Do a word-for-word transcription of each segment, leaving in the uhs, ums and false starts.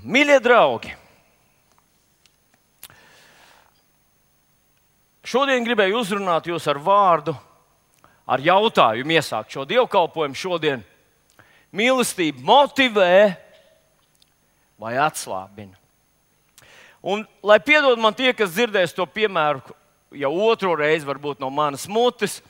Mīļie draugi, šodien gribēju uzrunāt jūs ar vārdu, ar jautājumu iesākt šo dievkalpojumu šodien. Mīlestība motivē vai atslābina? Un, lai piedod man tie, kas dzirdēs to piemēru jau otro reizi, varbūt no manas mutes,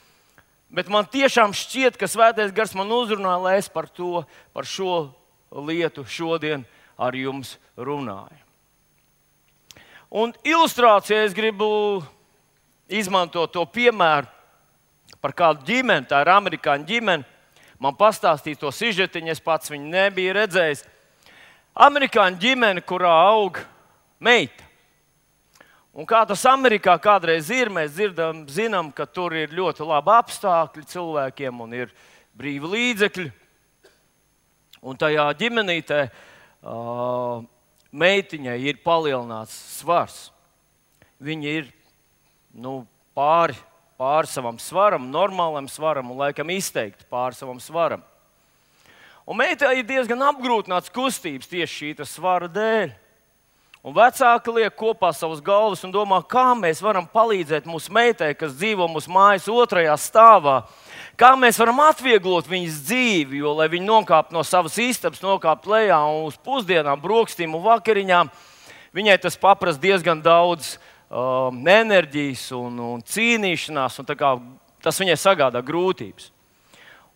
bet man tiešām šķiet, ka Svētais Gars man uzrunā, lai es par to, par šo lietu šodien ar jums runāju. Un ilustrācijai es gribu izmantot to piemēru par kādu ģimeni, tā ir amerikāņu ģimene. Man pastāstīja to sižetiņu, es pats viņu nebiju redzējis. Amerikāņu ģimene, kurā aug meita. Un kā tas Amerikā kādreiz ir, mēs dzirdam, zinām, ka tur ir ļoti labi apstākļi cilvēkiem un ir brīvi līdzekļi. Un tajā ģimenītē uh, meitiņai ir palielināts svars. Viņa ir nu, pāri, pāri savam svaram, normālam svaram un laikam izteikti pāri savam svaram. Un meitai ir diezgan apgrūtināts kustības tieši šī svara dēļ. Un vecāki liek kopā savas galvas un domā, kā mēs varam palīdzēt mūsu meitai, kas dzīvo mūsu mājas otrajā stāvā. Kā mēs varam atvieglot viņas dzīvi, jo, lai viņa nokāptu no savas istabas, nokāptu lejā un uz pusdienām, brokstīm un vakariņām, viņai tas paprasa diezgan daudz um, enerģijas un, un cīnīšanās, un tā kā, tas viņai sagādā grūtības.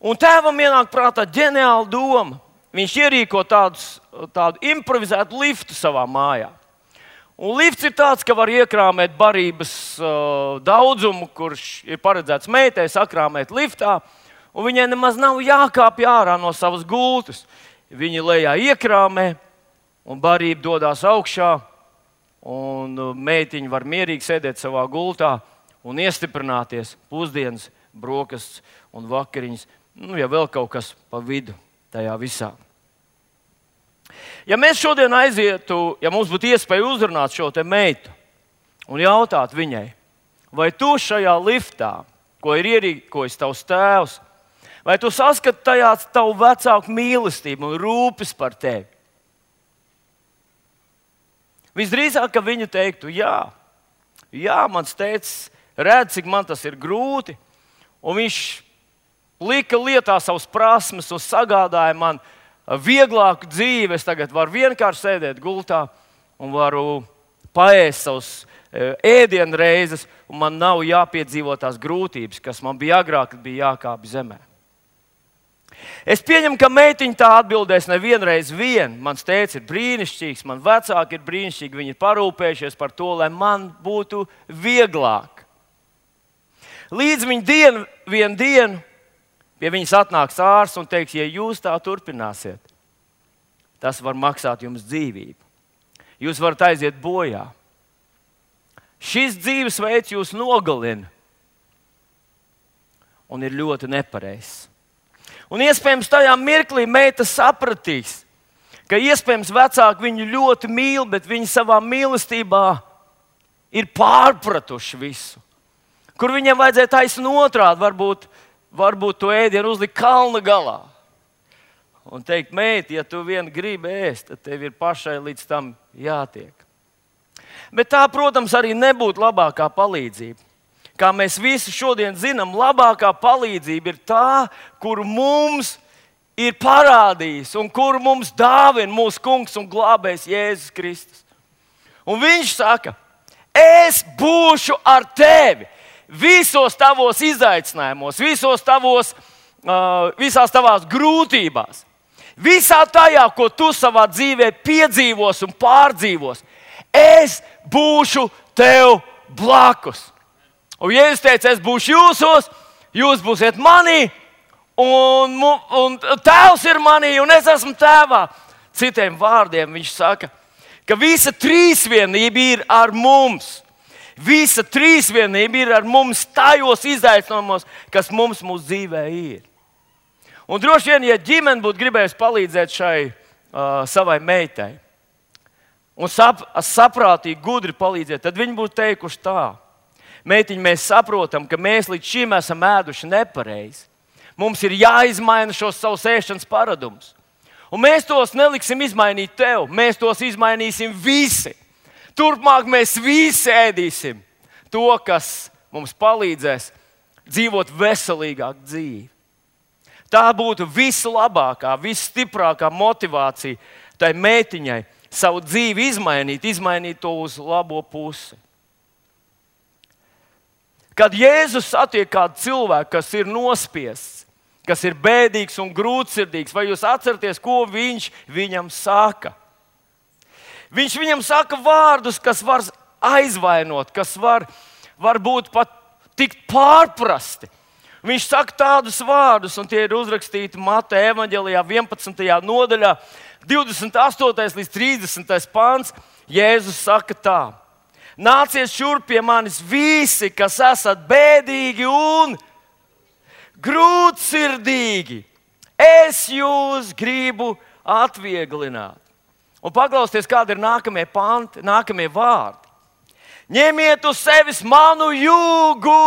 Un tēvam ienāk prātā ģeniāla doma. Viņš ierīko tādus, tādu improvizētu liftu savā mājā. Un lifts ir tāds, ka var iekrāmēt barības uh, daudzumu, kurš ir paredzēts meitai sakrāmēt liftā, un viņai nemaz nav jākāpj ārā no savas gultas. Viņa lejā iekrāmē, un barība dodas augšā, un meitiņa var mierīgi sēdēt savā gultā un iestiprināties pusdienas, brokastis un vakariņas, nu, ja vēl kaut kas pa vidu tajā visā. Ja mēs šodien aizietu, ja mums būtu iespēja uzrunāt šo te meitu un jautāt viņai, vai tu šajā liftā, ko ir ierīkojis tavs tēvs, vai tu saskati tajā tavu vecāku mīlestību un rūpes par tevi? Visdrīzāk, ka viņa teiktu, jā, jā, mans tēvs redz, cik man tas ir grūti, un viņš lika lietā savas prasmes un sagādāja man vieglāku dzīvi. Es tagad varu vienkārši sēdēt gultā un varu paēst savus ēdienu reizes, un man nav jāpiedzīvo tās grūtības, kas man bija agrāk, kad bija jākāpj zemē. Es pieņemu, ka meitiņa tā atbildēs nevienreiz vien. Mans tēvs ir brīnišķīgs, man vecāki ir brīnišķīgi, viņi ir parūpējušies par to, lai man būtu vieglāk. Līdz viņa dienu, vienu dienu, pie viņas atnāks ārsts un teiks, ja jūs tā turpināsiet, tas var maksāt jums dzīvību. Jūs varat aiziet bojā. Šis dzīvesveids jūs nogalina un ir ļoti nepareizs. Un iespējams tajā mirklī meita sapratīs, ka iespējams vecāki viņu ļoti mīl, bet viņi savā mīlestībā ir pārpratuši visu. Kur viņiem vajadzēja taisnīt otrādi, varbūt Varbūt to ēdienu uzlikt kalna galā un teikt, meita, ja tu vien gribi ēst, tad tev ir pašai līdz tam jātiek. Bet tā, protams, arī nebūtu labākā palīdzība. Kā mēs visi šodien zinām, labākā palīdzība ir tā, kuru mums ir parādījis un kuru mums dāvina mūsu kungs un glābējs Jēzus Kristus. Un viņš saka, es būšu ar tevi. Visos tavos izaicinājumos, visos tavos, uh, visās tavās grūtībās, visā tajā, ko tu savā dzīvē piedzīvos un pārdzīvos, es būšu tev blakus. Un Jēzus teica, es būšu jūsos, jūs būsiet manī, un, un tēvs ir manī, un es esmu tēvā. Citiem vārdiem viņš saka, ka visa trīsvienība ir ar mums. Visa trīsvienība ir ar mums tajos izaicinājumos, kas mums mūsu dzīvē ir. Un droši vien, ja ģimene būtu gribējusi palīdzēt šai uh, savai meitai un sap, saprātīgi, gudri palīdzēt, tad viņi būtu teikuši tā. Meitiņ, mēs saprotam, ka mēs līdz šim esam ēduši nepareizi. Mums ir jāizmaina šos savus ēšanas paradumus. Un mēs tos neliksim izmainīt tev, mēs tos izmainīsim visi. Turpmāk mēs visi ēdīsim to, kas mums palīdzēs dzīvot veselīgāku dzīvi. Tā būtu vislabākā, visstiprākā motivācija tai meitiņai savu dzīvi izmainīt, izmainīt to uz labo pusi. Kad Jēzus satiek kādu cilvēku, kas ir nospiests, kas ir bēdīgs un grūtsirdīgs, vai jūs atceraties, ko viņš viņam saka? Viņš viņam saka vārdus, kas var aizvainot, kas var, var būt pat tikt pārprasti. Viņš saka tādus vārdus, un tie ir uzrakstīti Mateja evaņģelijā vienpadsmitajā nodaļā, divdesmit astotais līdz trīsdesmitais pants. Jēzus saka tā: nāciet šurp pie manis visi, kas esat bēdīgi un grūtsirdīgi. Es jūs gribu atvieglināt. Un paklausieties, kādi ir nākamie panti, nākamie vārdi. Ņemiet uz sevis manu jūgu.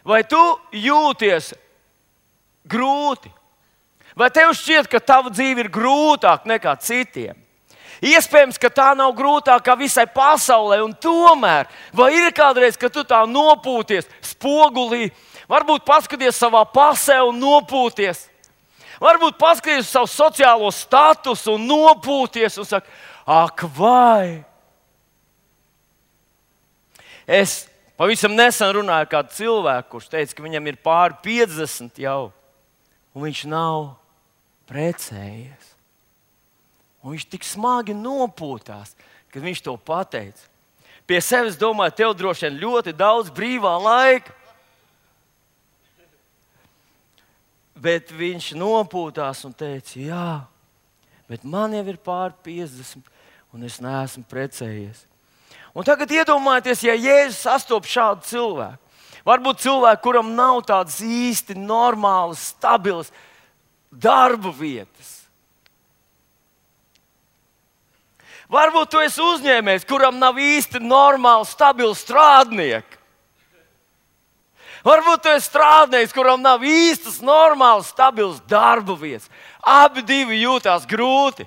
Vai tu jūties grūti? Vai tev šķiet, ka tava dzīve ir grūtāka nekā citiem? Iespējams, ka tā nav grūtākā visai pasaulē, un tomēr, vai ir kādreiz, kad tu tā nopūties spogulī, varbūt paskaties savā pasē un nopūties, varbūt paskaties savu sociālo statusu un nopūties un saka, ak, vai? Es pavisam nesen runāju ar kādu cilvēku, kurš teica, ka viņam ir pāri piecdesmit jau, un viņš nav precējies. Un viņš tik smagi nopūtās, kad viņš to pateica. Pie sevis domāju, tev droši vien ļoti daudz brīvā laika. Bet viņš nopūtās un teica, jā, bet man jau ir pāri piecdesmit, un es neesmu precējies. Un tagad iedomājieties, ja Jēzus sastopas šādu cilvēku. Varbūt cilvēku, kuram nav tādas īsti normālas, stabilas darba vietas. Varbūt tu esi uzņēmējs, kuram nav īsti normāli, stabili strādnieki. Varbūt tu esi strādnieks, kuram nav īstas, normālas, stabilas darba vietas. Abi divi jūtās grūti.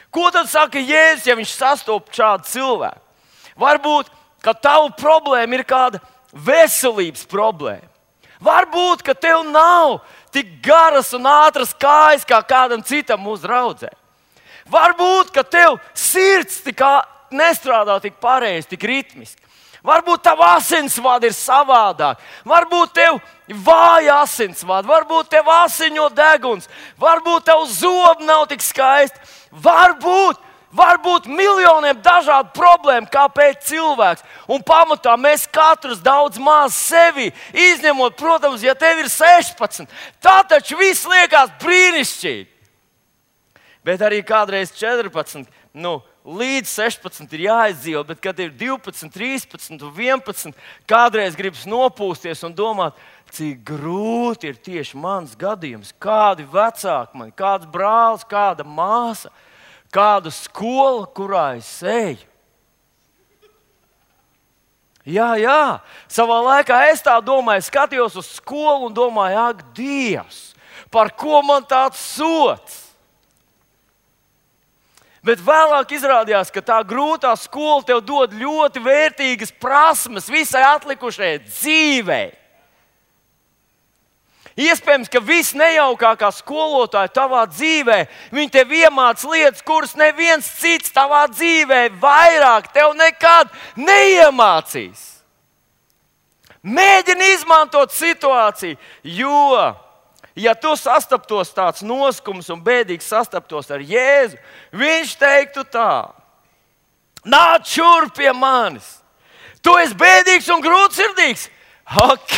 Ko tad saka Jēzus, ja viņš sastopas šādu cilvēku? Varbūt, ka tava problēma ir kāda veselības problēma. Varbūt, ka tev nav tik garas un ātras kājas kā kādam citam uzraudzē. Varbūt, ka tev sirds tik nestrādā tik pareizi, tik ritmiski. Varbūt tava asinsvada ir savādāk. Varbūt tev vāja asinsvada, varbūt tev asiņo deguns, varbūt tev zobi nav tik skaisti. Varbūt, varbūt miljoniem dažādu problēmu, kāpēc cilvēks. Un pamatā mēs katrs daudz maz sevi izņemot, protams, ja tev ir sešpadsmit. Tā taču viss liekas brīnišķīgi. Bet arī kādreiz četrpadsmit, nu, līdz sešpadsmit ir jāizdzīvo, bet kad ir divpadsmit, trīspadsmit un vienpadsmit, kādreiz gribas nopūsties un domāt, cik grūti ir tieši mans gadījums, kādi vecāki man, kāds brālis, kāda māsa, kāda skola, kurā es eju. Jā, jā, savā laikā es tā domāju, skatījos uz skolu un domāju, ak, Dievs, par ko man tāds sots? Bet vēlāk izrādījās, ka tā grūtā skola tev dod ļoti vērtīgas prasmes visai atlikušajai dzīvei. Iespējams, ka visnejaukākā skolotāja tavā dzīvē, viņi tev iemāca lietas, kuras neviens cits tavā dzīvē vairāk tev nekad neiemācīs. Mēģini izmantot situāciju, jo ja tu sastaptos tāds noskums un bēdīgs sastaptos ar Jēzu, viņš teiktu tā: nāc šurp pie manis. Tu esi bēdīgs un grūtsirdīgs. Ok,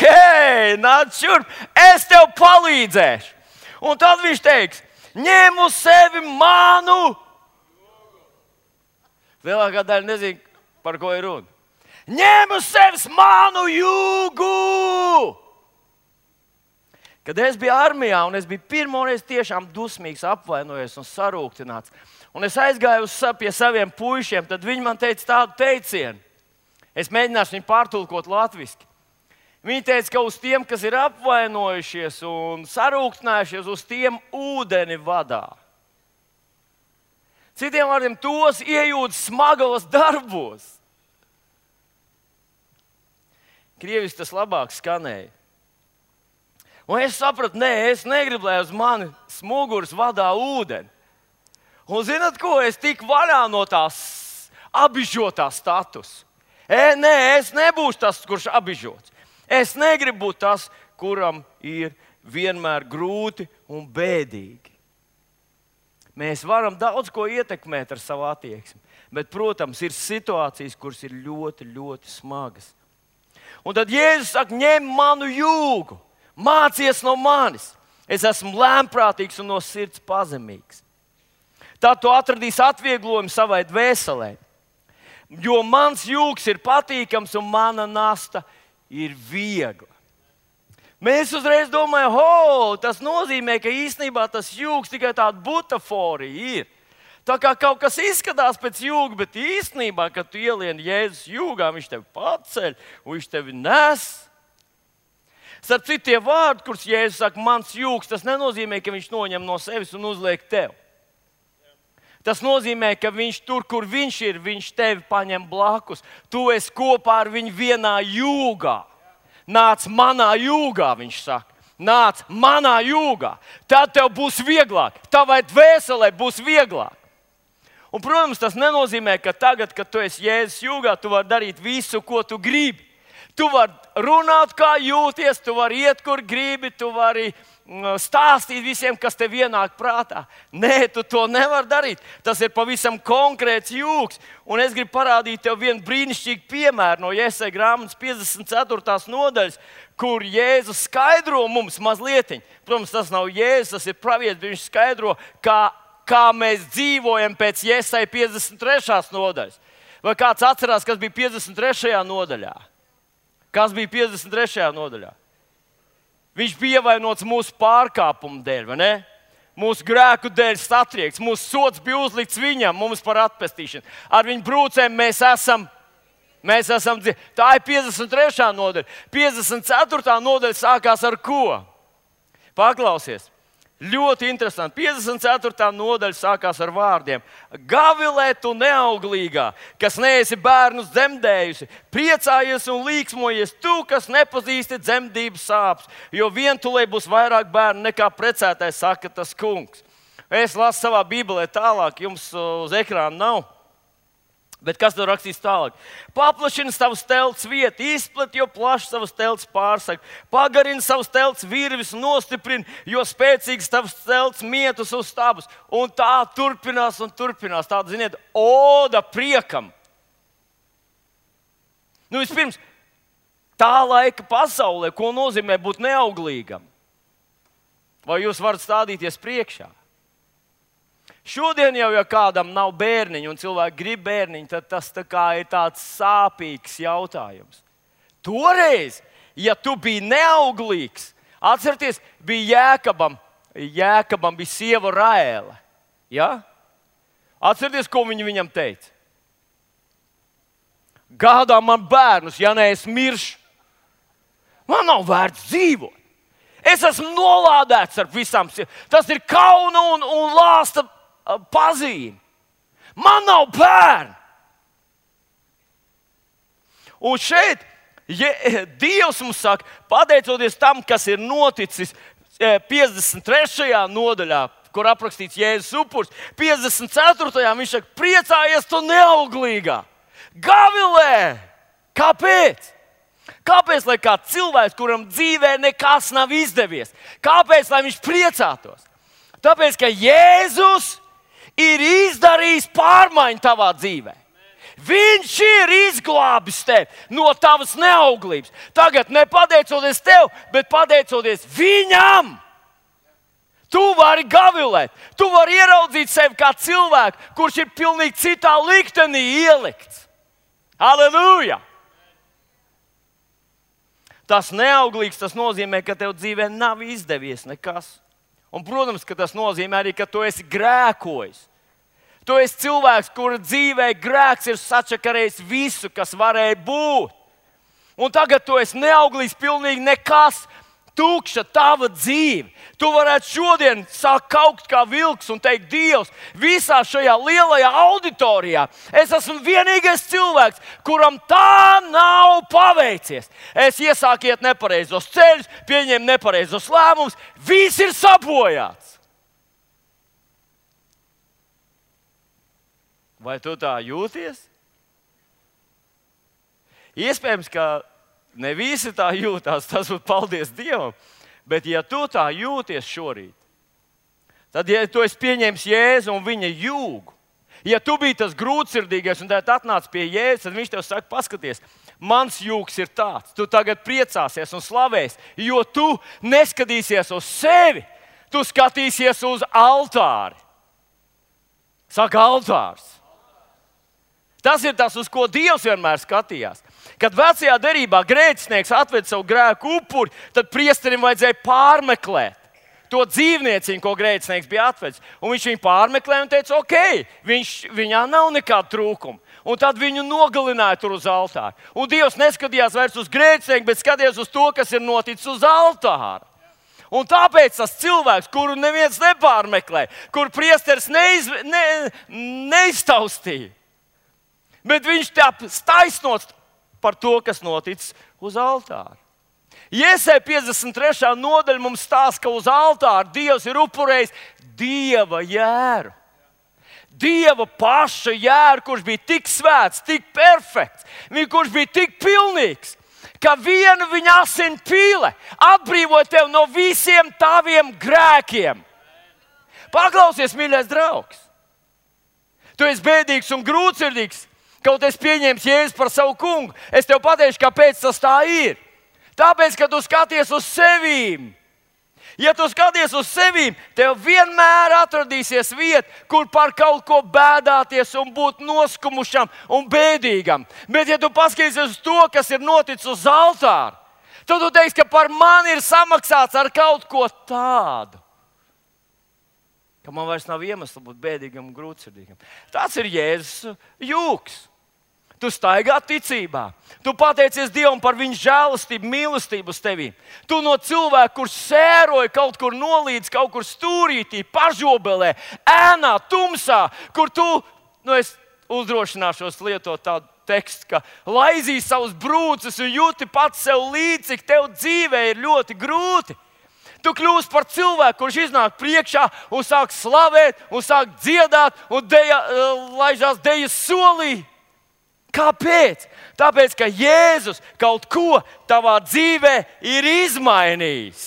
nāc šurp, es tev palīdzēšu. Un tad viņš teiks: ņem uz sevi manu. Lielākā daļa nezina, par ko ir runa. Ņem uz sevis manu jūgu. Kad es biju armijā, un es biju pirmoreiz tiešām dusmīgs, apvainojies un sarūktināts, un es aizgāju uz, pie saviem puišiem, tad viņi man teica tādu teicienu. Es mēģināšu viņu pārtulkot latviski. Viņi teica, ka uz tiem, kas ir apvainojušies un sarūktinājušies, uz tiem ūdeni vadā. Citiem vārdiem, tos iejūt smagos darbos. Krievis tas labāk skanēja. Un es sapratu, nē, es negribu, lai uz mani smuguras vadā ūdeni. Un zināt ko? Es tiku vaļā no tās apbižotā statusa. E, nē, es nebūšu tas, kurš apbižots. Es negribu būt tas, kuram ir vienmēr grūti un bēdīgi. Mēs varam daudz ko ietekmēt ar savu attieksmi, bet, protams, ir situācijas, kuras ir ļoti, ļoti smagas. Un tad Jēzus saka, ņem manu jūgu, mācies no manis. Es esmu lēnprātīgs un no sirds pazemīgs. Tad tu atradīsi atvieglojumu savai dvēselē, jo mans jūgs ir patīkams un mana nasta ir viegla. Mēs uzreiz domājam, ho, tas nozīmē, ka īstenībā tas jūgs tikai tāda butaforija ir. Tā kā kaut kas izskatās pēc jūga, bet īstenībā, kad tu ielieni Jēzus jūgā, viņš tevi paceļ un viņš tevi nes. Starp citu, tie vārdi, kurus Jēzus saka, mans jūgs, tas nenozīmē, ka viņš noņem no sevis un uzliek tev. Tas nozīmē, ka viņš tur, kur viņš ir, viņš tevi paņem blakus. Tu esi kopā ar viņu vienā jūgā. Nāc manā jūgā, viņš saka. Nāc manā jūgā. Tad tev būs vieglāk. Tavai dvēselē būs vieglāk. Un, protams, tas nenozīmē, ka tagad, kad tu esi Jēzus jūgā, tu vari darīt visu, ko tu gribi. Tu vari runāt, kā jūties, tu vari iet, kur gribi, tu vari stāstīt visiem, kas tev ienāk prātā. Nē, tu to nevari darīt. Tas ir pavisam konkrēts jūgs. Un es gribu parādīt tev vienu brīnišķīgu piemēru no Jesaja grāmatas piecdesmit ceturtās nodaļas, kur Jēzus skaidro mums mazliet. Protams, tas nav Jēzus, tas ir pravietis, viņš skaidro, kā, kā mēs dzīvojam pēc Jesaja piecdesmit trešās nodaļas. Vai kāds atcerās, kas bija piecdesmit trešajā nodaļā? Kas bija piecdesmit trešajā nodaļā? Viņš bija ievainots mūsu pārkāpumu dēļ, vai ne? Mūsu grēku dēļ satriekts, mūsu sods bija uzlikts viņam, mums par atpestīšanu. Ar viņu brūcēm mēs esam, mēs esam dzīvi. Tā ir piecdesmit trešā nodaļa. piecdesmit ceturtā nodaļa sākās ar ko? Paklausies. Ļoti interesanti. piecdesmit ceturtā nodaļa sākās ar vārdiem. Gavilē tu neauglīgā, kas neesi bērnus dzemdējusi, priecājies un līksmojies tu, kas nepazīsti dzemdības sāpes, jo vientulē būs vairāk bērnu nekā precētais, saka tas kungs. Es lasu savā bībelē tālāk, jums uz ekrāna nav. Bet kas tur rakstīs tālāk? Paplašina savus telts vietu, izplet, jo plaši savus telts pārsaka. Pagarina savus telts virvis, nostiprina, jo spēcīgs tavs telts mietus uz stabus. Un tā turpinās un turpinās. Tāda, ziniet, oda priekam. Nu, vispirms, tā laika pasaulē, ko nozīmē būt neauglīgam? Vai jūs varat stādīties priekšā? Šodien jau, ja kādam nav bērniņu un cilvēki grib bērniņu, tad tas tā kā ir tāds sāpīgs jautājums. Toreiz, ja tu biji neauglīgs, atcerieties, bija Jēkabam, Jēkabam bija sieva Raēle. Ja? Atcerieties, ko viņa viņam teica? Gādā man bērnus, ja ne es miršu. Man nav vērts dzīvot. Es esmu nolādēts ar visām. Tas ir kauna un, un lāsta pazīme. Man nav bērnu. Un šeit ja, Dievs mums saka, pateicoties tam, kas ir noticis piecdesmit trešajā nodaļā, kur aprakstīts Jēzus upuris, piecdesmit ceturtajā viņš saka, priecājies tu neauglīgā. Gavilē! Kāpēc? Kāpēc, lai kāds cilvēks, kuram dzīvē nekas nav izdevies, kāpēc, lai viņš priecātos? Tāpēc, ka Jēzus ir izdarījis pārmaiņu tavā dzīvē. Viņš ir izglābis tevi no tavas neauglības. Tagad ne pateicoties tev, bet pateicoties viņam. Tu vari gavilēt, tu vari ieraudzīt sevi kā cilvēku, kurš ir pilnīgi citā liktenī ielikts. Halleluja! Tas neauglīgs, tas nozīmē, ka tev dzīvē nav izdevies nekas. Un, protams, ka tas nozīmē arī, ka tu esi grēkojis. Tu esi cilvēks, kura dzīvē grēks ir sačakarējis visu, kas varēja būt. Un tagad tu esi neauglīgs, pilnīgi nekas, tukša tava dzīve. Tu varētu šodien sākt kaukt kā vilks un teikt, Dievs, visā šajā lielajā auditorijā es esmu vienīgais cilvēks, kuram tā nav paveicies. Es iesāku iet nepareizos ceļus, pieņēmu nepareizos lēmumus, viss ir sabojāts. Vai tu tā jūties? Iespējams, ka ne visi tā jūtās, tas būtu paldies Dievam. Bet, ja tu tā jūties šorīt, tad, ja tu esi pieņēmis Jēzu un viņa jūgu, ja tu biji tas grūtsirdīgais un tad atnāc pie Jēzus, tad viņš tev saka, paskaties, mans jūgs ir tāds, tu tagad priecāsies un slavēsi, jo tu neskatīsies uz sevi, tu skatīsies uz altāri. Saka, altārs. Tas ir tas, uz ko Dievs vienmēr skatījās. Kad vecajā derībā grēcinieks atved savu grēku upuri, tad priesterim vajadzēja pārmeklēt to dzīvnieciņu, ko grēcinieks bija atvedis. Un viņš viņu pārmeklēja un teica, ok, viņš, viņā nav nekāda trūkuma. Un tad viņu nogalināja tur uz altāra. Un Dievs neskatījās vairs uz grēcinieku, bet skatījās uz to, kas ir noticis uz altāra. Un tāpēc tas cilvēks, kuru neviens nepārmeklē, kur priesteris neiz, ne, neiztaustīja, bet viņš tā taisnots par to, kas noticis uz altāra. Jesaja piecdesmit trešā nodaļa mums stāsta, ka uz altāra Dievs ir upurējis Dieva jēru. Dieva paša jēru, kurš bija tik svēts, tik perfekts, kurš bija tik pilnīgs, ka viena viņa asina pīle atbrīvo tevi no visiem taviem grēkiem. Paklausies, mīļais draugs. Tu esi bēdīgs un grūtsirdīgs. Kaut es pieņēmu Jēzu par savu kungu, es tev pateikšu, kāpēc tas tā ir. Tāpēc, ka tu skaties uz sevīm. Ja tu skaties uz sevīm, tev vienmēr atradīsies vieta, kur par kaut ko bēdāties un būt noskumušam un bēdīgam. Bet, ja tu paskatīsies uz to, kas ir noticis uz altāra, tad tu teiksi, ka par mani ir samaksāts ar kaut ko tādu, ka man vairs nav iemesla būt bēdīgam un grūtsirdīgam. Tas ir Jēzus jūgs. Tu staigā ticībā. Tu pateicies Dievam par viņa žēlastību, mīlestību uz tevi. Tu no cilvēka, kurš sēroja kaut kur nolīdz, kaut kur stūrītī, pažobelē, ēnā, tumsā, kur tu, nu es uzdrošināšos lietot tādu tekstu, ka laizīji savus brūces un jūti pats sev līdzi, cik tev dzīvē ir ļoti grūti. Tu kļūsi par cilvēku, kurš iznāk priekšā un sāk slavēt, un sāk dziedāt, un deja, laižās dejas solī. Kāpēc? Tāpēc, ka Jēzus kaut ko tavā dzīvē ir izmainījis.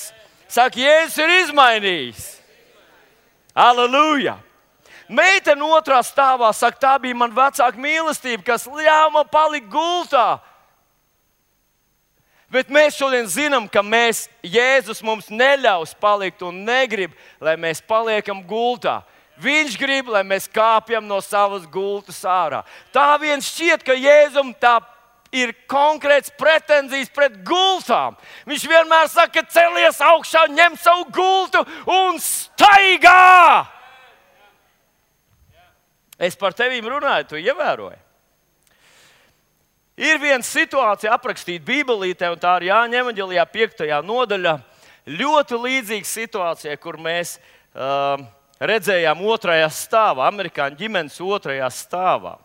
Saka, Jēzus ir izmainījis. Halleluja! Meitene otrā stāvā saka, tā bija man vecāka mīlestība, kas ļāva man palikt gultā. Bet mēs šodien zinām, ka mēs, Jēzus mums neļaus palikt un negrib, lai mēs paliekam gultā. Viņš grib, lai mēs kāpjam no savas gultas ārā. Tā vien šķiet, ka Jēzum tā ir konkrēts pretenzijas pret gultām. Viņš vienmēr saka, celies augšā, ņem savu gultu un staigā! Es par tevīm runāju, tu ievēroji. Ir viena situācija aprakstīta Bībelītē, un tā ir Jāņa evaņģēlijā piektajā nodaļā. Ļoti līdzīga situācija, kur mēs uh, redzējām otrajā stāvā, amerikāņu ģimenes otrajā stāvā.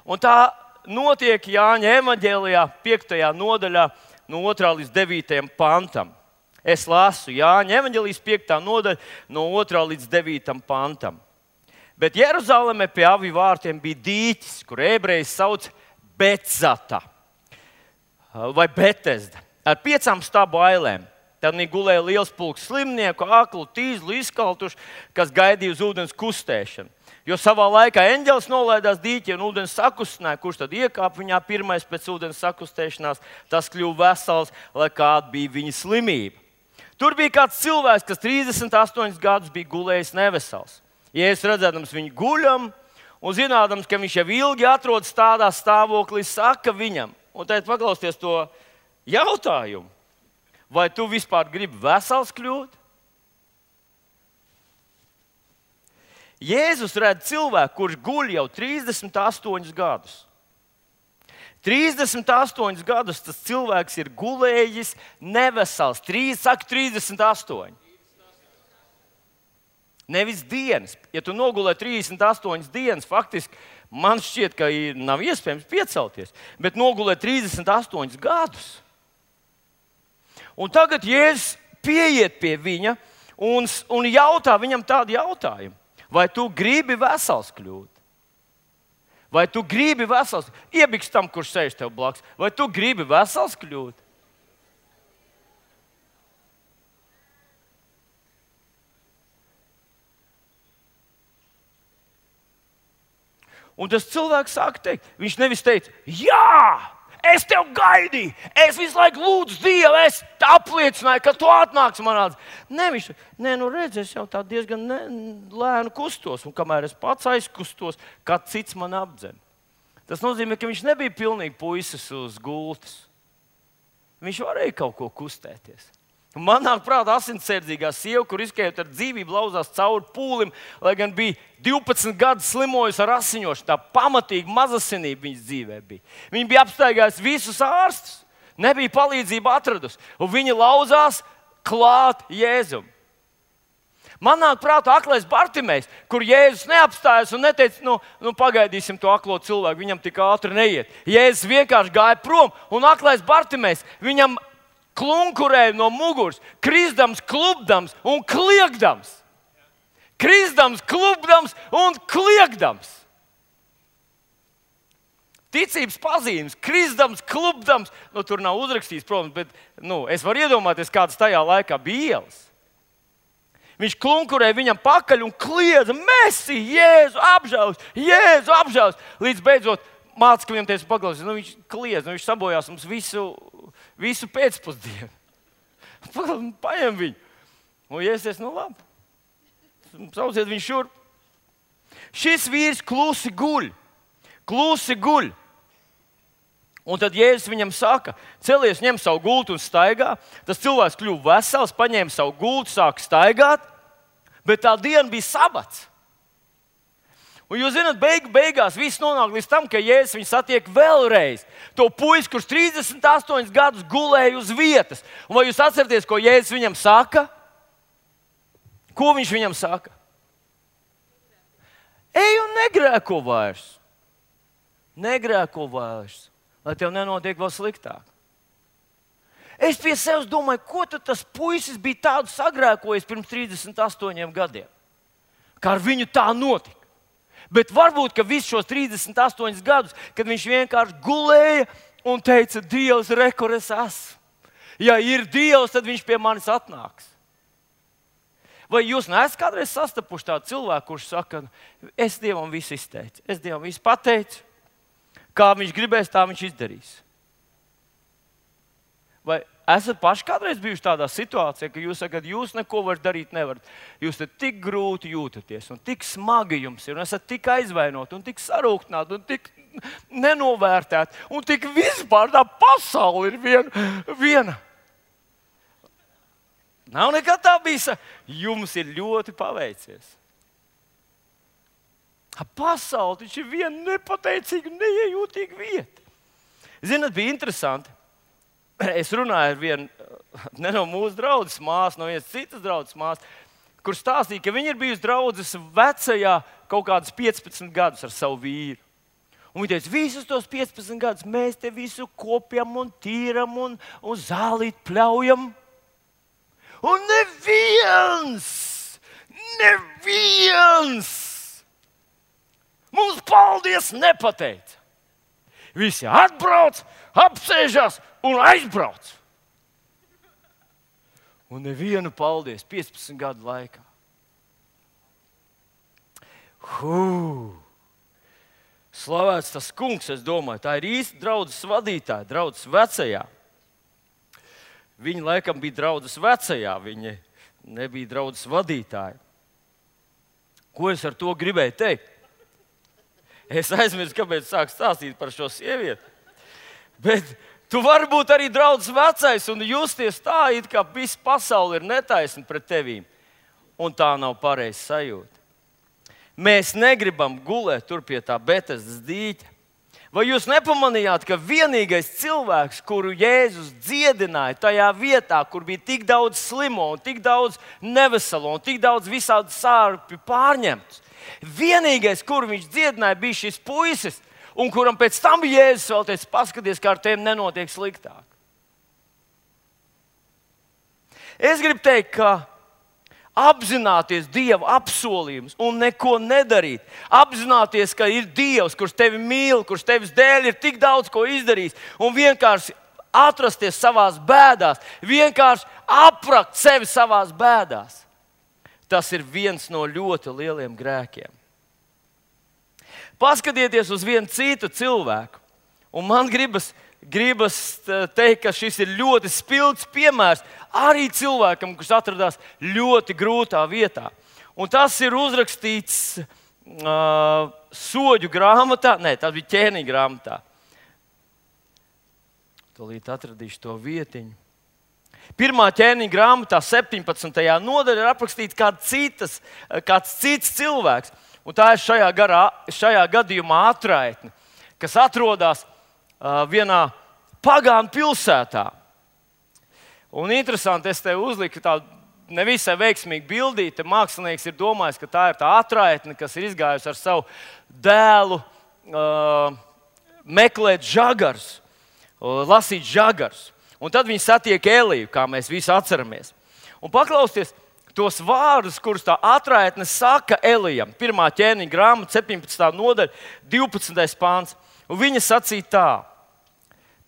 Un tā notiek Jāņa evaņģēlijā piektajā nodaļā no otrā līdz devītajam pantam. Es lasu Jāņa evaņģēlijas piektā nodaļa no otrā līdz devītajam pantam. Bet Jeruzalemē pie aviju vārtiem bija dīķis, kur ebreji sauc Betzata vai Betesda, ar piecām stabu ailēm. Tad viņi gulēja liels pulks slimnieku, aklu, tīzlu, izkaltuši, kas gaidīja uz ūdens kustēšanu. Jo savā laikā eņģelis nolaidās dīķi un ūdens sakustināja, kurš tad iekāpa viņā pirmais pēc ūdens sakustēšanās, tas kļuva vesels, lai kāda bija viņa slimība. Tur bija kāds cilvēks, kas trīsdesmit astoņus gadus bija gulējis nevesels. Jēzus redzēdams viņu guļam un zinādams, ka viņš jau ilgi atrodas tādā stāvoklī, saka viņam, un tad paklausties to jautājumu, vai tu vispār gribi vesels kļūt? Jēzus redz cilvēku, kurš guļ jau trīsdesmit astoņus gadus. trīsdesmit astoņus gadus tas cilvēks ir gulējis nevesels. Trīs, saka, trīsdesmit astoņi. Nevis dienas. Ja tu nogulē trīsdesmit astoņas dienas, faktiski man šķiet, ka nav iespējams piecelties. Bet nogulē trīsdesmit astoņus gadus. Un tagad Jēzus pieiet pie viņa un, un jautā viņam tādu jautājumu. Vai tu gribi vesels kļūt? Vai tu gribi vesels? Iebiks tam, kurš sēž tev blakus. Vai tu gribi vesels kļūt? Un tas cilvēks sāka teikt, viņš nevis teica, jā, es tev gaidīju, es visu laiku lūdzu Dievu, es apliecināju, ka tu atnāksi manā dzīvē. Nē, viņš teica, nē, nu redz, es jau tā diezgan ne, lēnu kustos, un kamēr es pats aizkustos, kāds cits man apdzen. Tas nozīmē, ka viņš nebija pilnīgi puisis uz gultas. Viņš varēja kaut ko kustēties. Man nāk prātā asinsardzīgā sieva, kur izkējot ar dzīvību lauzās cauri pūlim, lai gan bija divpadsmit gadus slimojusi ar asiņošanu. Tā pamatīgi mazasinība viņas dzīvē bija. Viņa bija apstaigājusi visus ārstus, nebija palīdzību atradusi, un viņa lauzās klāt Jēzum. Man nāk prātā aklais Bartimejs, kur Jēzus neapstājas un neteica, nu, nu pagaidīsim to aklo cilvēku, viņam tik ātri neiet. Jēzus vienkārši gāja prom, un aklais Bartimejs viņam klunkurēja no muguras, krisdams, klubdams un kliegdams. Krisdams, klubdams un kliegdams. Ticības pazīmes, krisdams, klubdams. Nu, tur nav uzrakstīts, protams, bet nu, es varu iedomāties, kādas tajā laikā bija ielas. Viņš klunkurēja viņam pakaļ un kliedza, Messi, Jēzu, apžēlis, Jēzu, apžēlis. Līdz beidzot mācekļiem teica, paklausies, nu, viņš kliedz, nu, viņš sabojās mums visu, visu pēcpusdienu. Paņem viņu. Un Jēzus, nu labi, sauciet viņu šurp. Šis vīrs klusi guļ, klusi guļ. Un tad Jēzus viņam saka, celies, ņem savu gultu un staigā. Tas cilvēks kļuva vesels, paņēma savu gultu, sāka staigāt, bet tā diena bija sabats. Un jūs zināt, beigu, beigās viss nonāk līdz tam, ka Jēzus viņu satiek vēlreiz. To puisi, kurš trīsdesmit astoņus gadus gulēja uz vietas. Un vai jūs atceraties, ko Jēzus viņam saka? Ko viņš viņam saka? Ej un negrēko vairs. Negrēko vairs, lai tev nenotiek vēl sliktāk. Es pie sevis domāju, ko tad tas puisis bija tādu sagrēkojis pirms trīsdesmit astoņiem gadiem. Kā ar viņu tā notika. Bet varbūt, ka visus šos trīsdesmit astoņus gadus, kad viņš vienkārši gulēja un teica, Dievs, re, kur es esmu. Ja ir Dievs, tad viņš pie manis atnāks. Vai jūs neesat kādreiz sastapuši tādu cilvēku, kurš saka, es Dievam visu izteicu, es Dievam visu pateicu, kā viņš gribēs, tā viņš izdarīs. Vai esat paši kādreiz bijuši tādā situācijā, ka jūs sakat, jūs neko varat darīt nevarat. Jūs te tik grūti jūtaties, un tik smagi jums ir, un esat tik aizvainoti, un tik sarūktināti, un tik nenovērtēti, un tik vispār tā pasaule ir viena. viena. Nav nekad tā bijis. Jums ir ļoti paveicies. Pasaule taču ir viena nepateicīga, neiejūtīga vieta. Zināt, bija interesanti. Es runāju ar vienu, ne no mūsu draudzes māsas, no vienas citas draudzes māsas, kur stāstīja, ka viņa ir bijusi draudzes vecajā kaut kādas piecpadsmit gadus ar savu vīru. Un viņa teica, visus tos piecpadsmit gadus mēs te visu kopjam un tīram un, un zālīt pļaujam. Un neviens, neviens mums paldies nepateica. Visi atbrauc, apsēžās un aizbrauc. Un nevienu paldies piecpadsmit gadu laikā. Hū! Slavēts tas kungs, es domāju, tā ir īsta draudzes vadītāja, draudzes vecajā. Viņa laikam bija draudzes vecajā, viņa nebija draudzes vadītāja. Ko es ar to gribēju teikt? Es aizmirsu, kāpēc sāku stāstīt par šo sievieti. Bet tu vari būt arī draudzes vecais un justies tā, it kā visa pasaule ir netaisna pret tevīm. Un tā nav pareiza sajūta. Mēs negribam gulēt tur pie tā Betesdas dīķa. Vai jūs nepamanījāt, ka vienīgais cilvēks, kuru Jēzus dziedināja tajā vietā, kur bija tik daudz slimo, un tik daudz neveselo un tik daudz visādu sārpju pārņemts, vienīgais, kuru viņš dziedināja, bija šis puisis, un kuram pēc tam bija Jēzus vēl teica, paskaties, kā ar tiem nenotiek sliktāk. Es gribu teikt, ka apzināties Dieva apsolījumus un neko nedarīt. Apzināties, ka ir Dievs, kurš tevi mīl, kurš tevis dēļ ir tik daudz ko izdarījis, un vienkārši atrasties savās bēdās, vienkārši aprakt sevi savās bēdās. Tas ir viens no ļoti lieliem grēkiem. Paskatieties uz vienu citu cilvēku, un man gribas, gribas teikt, ka šis ir ļoti spilgts piemērs arī cilvēkam, kurš atradās ļoti grūtā vietā. Un tas ir uzrakstīts uh, soļu grāmatā, nē, tas bija ķēniņa grāmatā. Tūlīt atradīšu to vietiņu. Pirmā ķēniņa grāmatā, septiņpadsmitajā nodaļā, ir aprakstīts kāds, citas, kāds cits cilvēks. Un tā ir šajā, garā, šajā gadījumā atraitne, kas atrodas uh, vienā pagānu pilsētā. Un interesanti, es te uzliku tādu nevisai veiksmīgu bildīti. Mākslinieks ir domājis, ka tā ir tā atraitne, kas ir izgājusi ar savu dēlu uh, meklēt žagarus, uh, lasīt žagarus. Un tad viņi satiek Eliju, kā mēs visi atceramies. Un paklausieties tos vārdus, kurus tā atraitne saka Elijam. Pirmā ķēniņa grāmata, septiņpadsmitā nodaļa, divpadsmitais pāns. Un viņa sacīja tā.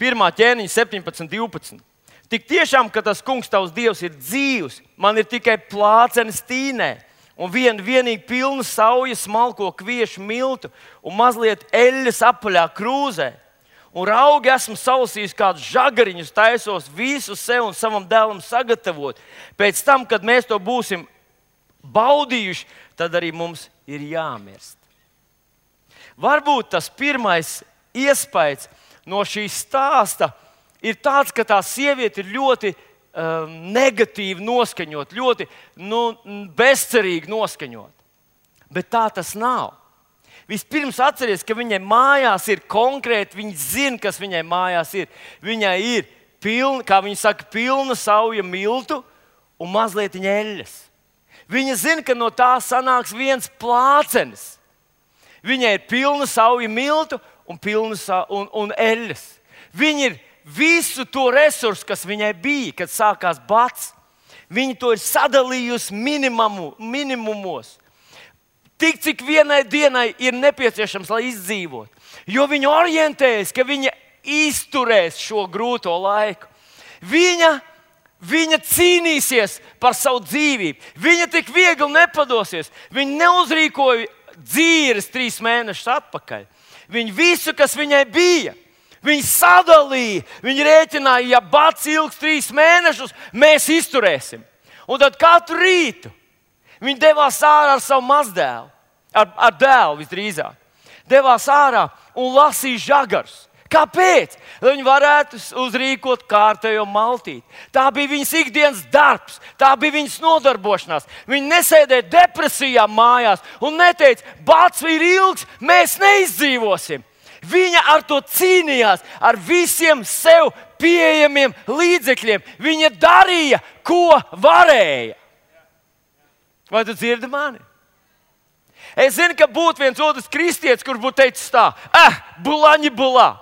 Pirmā ķēniņa, septiņpadsmit, divpadsmit. Tik tiešām, ka tas kungs tavs Dievs ir dzīvs, man ir tikai plācenes tīnē un vien, vienīgi pilna sauja smalko kviešu miltu un mazliet eļļas apaļā krūzē. Un raugi esmu salasījis kādus žagariņus, taisos visu sev un savam dēlam sagatavot. Pēc tam, kad mēs to būsim baudījuši, tad arī mums ir jāmirst. Varbūt tas pirmais iespējas no šī stāsta ir tāds, ka tā sieviete ir ļoti um, negatīvi noskaņot, ļoti nu, bezcerīgi noskaņot. Bet tā tas nav. Vispirms atceries, ka viņai mājās ir konkrēti, viņa zina, kas viņai mājās ir. Viņai ir pilna, kā viņa saka, pilna sauja miltu un mazliet eļļas. Viņa zina, ka no tā sanāks viens plācenis. Viņai ir pilna sauja miltu un, pilna sa- un, un eļļas. Viņa ir visu to resursu, kas viņai bija, kad sākās bats. Viņa to ir sadalījusi minimumu, minimumos. Tik, cik vienai dienai ir nepieciešams, lai izdzīvot. Jo viņa orientējas, ka viņa izturēs šo grūto laiku. Viņa, viņa cīnīsies par savu dzīvību. Viņa tik viegli nepadosies. Viņa neuzrīkoja dzīves trīs mēnešus atpakaļ. Viņa visu, kas viņai bija, viņa sadalīja. Viņa rēķināja, ja bats ilgs trīs mēnešus, mēs izturēsim. Un tad katru rītu viņi devās ārā ar savu mazdēlu, ar, ar dēlu visdrīzāk. Devās ārā un lasīja žagarus. Kāpēc? Lai viņi varētu uzrīkot kārtējo maltīti. Tā bija viņas ikdienas darbs, tā bija viņas nodarbošanās. Viņi nesēdēja depresijā mājās un neteica, bats ir ilgs, mēs neizdzīvosim. Viņa ar to cīnījās, ar visiem sev pieejamiem līdzekļiem. Viņa darīja, ko varēja. Vai tu dzirdi mani? Es zinu, ka būtu viens otrs kristietis, kurš būtu teicis tā, eh, bulaņi bulā,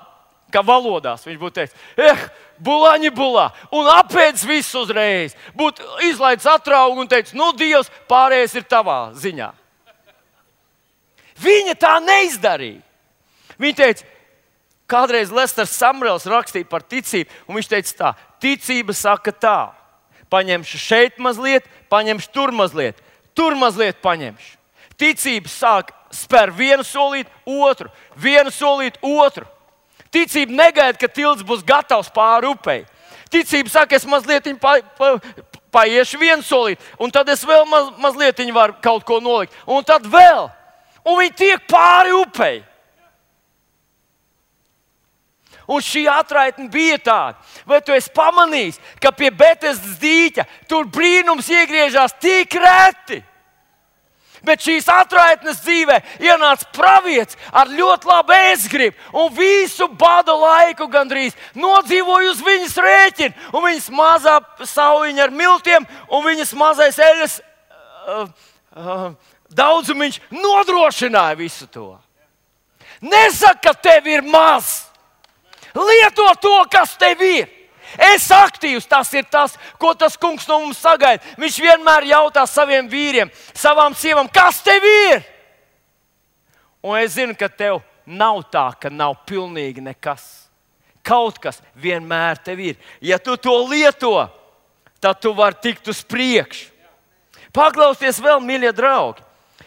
kā valodās viņš būtu teicis, eh, bulaņi bulā, un apēdis visu uzreiz. Būtu izlaidis atraugu un teicis, nu, Dievs, pārējais ir tavā ziņā. Viņa tā neizdarīja. Viņa teica, kādreiz Lesters Samrels rakstīja par ticību, un viņš teica tā, ticība saka tā, paņemšu šeit mazliet, paņemšu tur mazliet. Tur mazliet paņemšu. Ticība sāk spēr vienu solīt, otru, vienu solīt, otru. Ticība negaida, ka tilts būs gatavs pāri upei. Ticība saka, es mazliet pa, pa, paiešu vienu solīt, un tad es vēl maz, mazliet varu kaut ko nolikt, un tad vēl. Un viņi tiek pāri upei. Un šī atraitne bija tāda. Vai tu esi pamanījis, ka pie Betesdas dīķa tur brīnums iegriežās tik reti? Bet šīs atraitnes dzīvē ienāca pravietis ar ļoti labu ēstgribu un visu bada laiku gandrīz nodzīvoja uz viņas rēķina. Un viņas mazā sauliņa ar miltiem un viņas mazais eļas uh, uh, daudzumiņš nodrošināja visu to. Nesaka, ka tev ir maz. Lieto to, kas tev ir. Es aktīvs, tas ir tas, ko tas kungs no mums sagaida. Viņš vienmēr jautā saviem vīriem, savām sievām, kas tev ir? Un es zinu, ka tev nav tā, ka nav pilnīgi nekas. Kaut kas vienmēr tev ir. Ja tu to lieto, tad tu vari tikt uz priekšu. Paklausieties vēl, mīļie draugi.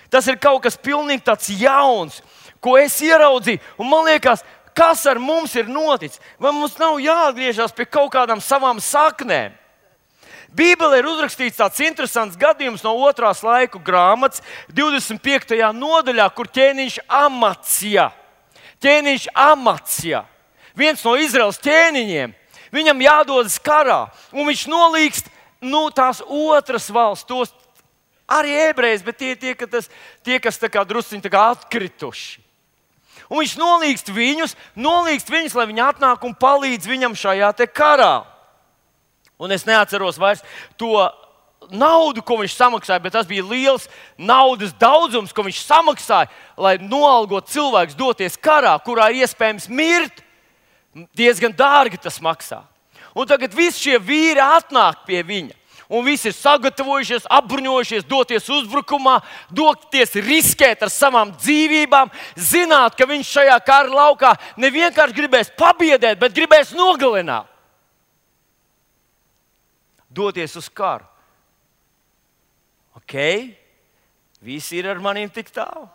Tas ir kaut kas pilnīgi tāds jauns, ko es ieraudzīju. Un man liekas, kas ar mums ir noticis? Vai mums nav jāatgriežas pie kaut kādām savām saknēm? Bībelē ir uzrakstīts tāds interesants gadījums no otrās laiku grāmatas, divdesmit piektajā nodaļā, kur ķēniņš Amacija, ķēniņš Amacija, viens no Izraels ķēniņiem, viņam jādodas karā, un viņš nolīgst nu, tās otras valsts, tos arī ebrejus, bet tie, tie, tas, tie kas tā kā drusciņi tā kā atkrituši. Un viņš nolīgst viņus, nolīgst viņus, lai viņi atnāk un palīdz viņam šajā te karā. Un es neatceros vairs to naudu, ko viņš samaksāja, bet tas bija liels naudas daudzums, ko viņš samaksāja, lai noalgotu cilvēkus doties karā, kurā ir iespējams mirt. Diezgan dārgi tas maksā. Un tagad visi šie vīri atnāk pie viņa. Un visi ir sagatavojušies, apbruņojušies, doties uzbrukumā, doties riskēt ar savām dzīvībām, zināt, ka viņš šajā kara laukā ne vienkārši gribēs pabiedēt, bet gribēs nogalināt. Doties uz karu. Ok, visi ir ar maniem tik tālu.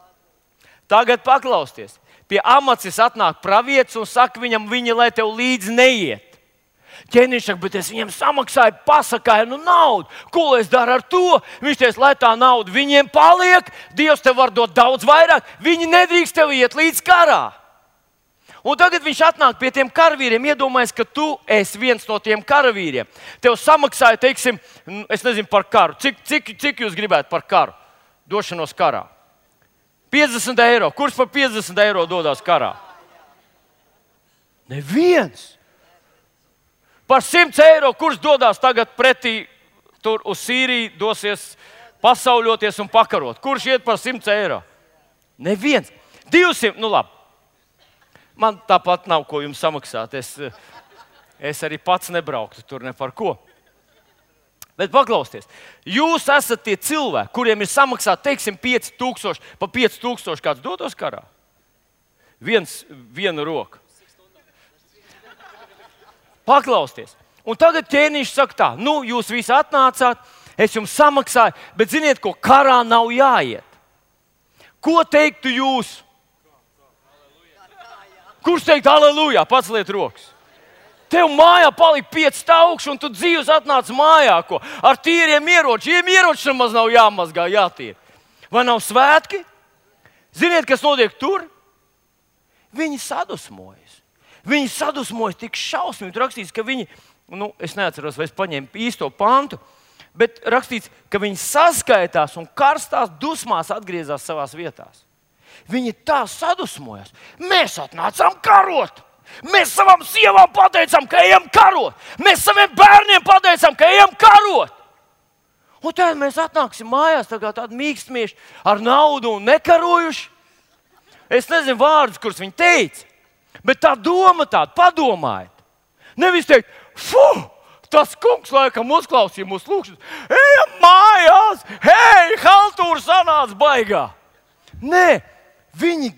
Tagad paklausieties. Pie Amacis atnāk pravietis un saka viņam, viņa, lai tev līdzi neiet. Ķēniņš saka, bet es viņiem samaksāju, pasakāju, nu naudu. Ko es daru ar to? Viņš teica, lai tā nauda viņiem paliek, Dievs tev var dot daudz vairāk, viņi nedrīkst tev iet līdz karā. Un tagad viņš atnāk pie tiem karavīriem, iedomājas, ka tu esi viens no tiem karavīriem. Tev samaksāja, teiksim, es nezinu par karu. Cik, cik, cik jūs gribētu par karu? Došanos karā. piecdesmit eiro. Kurš par piecdesmit eiro dodās karā? Neviens. Par simt eiro, kurš dodas tagad pretī tur uz Sīriju, dosies pasauļoties un pakarot. Kurš iet par simt eiro? Neviens. divsimt, nu labi. Man tāpat nav ko jums samaksāt. Es, es arī pats nebrauktu tur ne par ko. Bet paklausieties, jūs esat tie cilvēki, kuriem ir samaksāt, teiksim, pieci tūkstoši, pa pieci tūkstoši kāds dotos karā? Viens, viena roka. Paklausieties. Un tagad ķēniņš saka tā, nu, jūs visi atnācāt, es jums samaksāju, bet ziniet, ko karā nav jāiet. Ko teiktu jūs? Kurš teikt aleluja? Paceliet rokas. Tev mājā palika pieci taukši, un tu dzīves atnāc mājā, ko ar tīriem ieročiem. Ieroči nemaz nav jāmazgā, jātīr. Vai nav svētki? Ziniet, kas notiek tur? Viņi sadusmojas. Viņi sadusmojas tik šausmīgi. Tur rakstīts, ka viņi, nu, es neatceros, vai es paņēmu īsto pantu, bet rakstīts, ka viņi saskaitās un karstās dusmās atgriezās savās vietās. Viņi tā sadusmojas. Mēs atnācām karot. Mēs savām sievām pateicām, ka ejam karot. Mēs saviem bērniem pateicām, ka ejam karot. Un tad mēs atnāksim mājās tagad tādi mīkstmieši ar naudu un nekarojuši. Es nezinu vārdus, kurus viņi teica. Bet tā doma tāda, padomājiet. Nevis teikt, fu, tas kungs laikam uzklausīja mūsu lūkšanas. Ejam mājās, hei, haltūra sanāca baigā. Nē, viņi,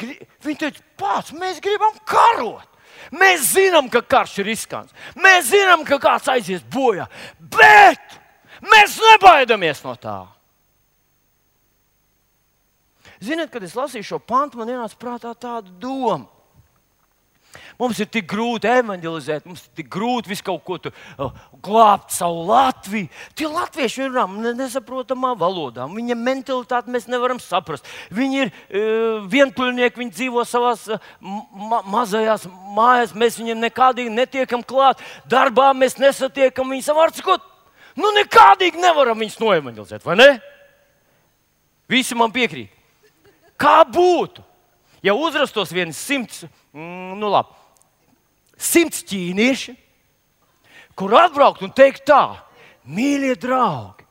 viņi teica, pats, mēs gribam karot. Mēs zinām, ka karš ir riskants. Mēs zinām, ka kāds aizies bojā. Bet mēs nebaidamies no tā. Ziniet, kad es lasīju šo pantu, man ienāca prātā tāda doma. Mums ir tik grūti evanģelizēt, mums ir tik grūti visu kaut ko tu, uh, glābt savu Latviju. Tie latvieši runā nesaprotamā valodā, viņa mentalitāti mēs nevaram saprast. Viņi ir uh, vientuļnieki, viņi dzīvo savās uh, ma mazajās mājās, mēs viņiem nekādīgi netiekam klāt, darbā mēs nesatiekam viņus, var sakot, nu nekādīgi nevaram viņus noevanģelizēt, vai ne? Visi man piekrīt. Kā būtu, ja uzrastos viens simts, mm, nu labi, simts ķīnieši, kur atbraukt un teikt tā: mīļie draugi,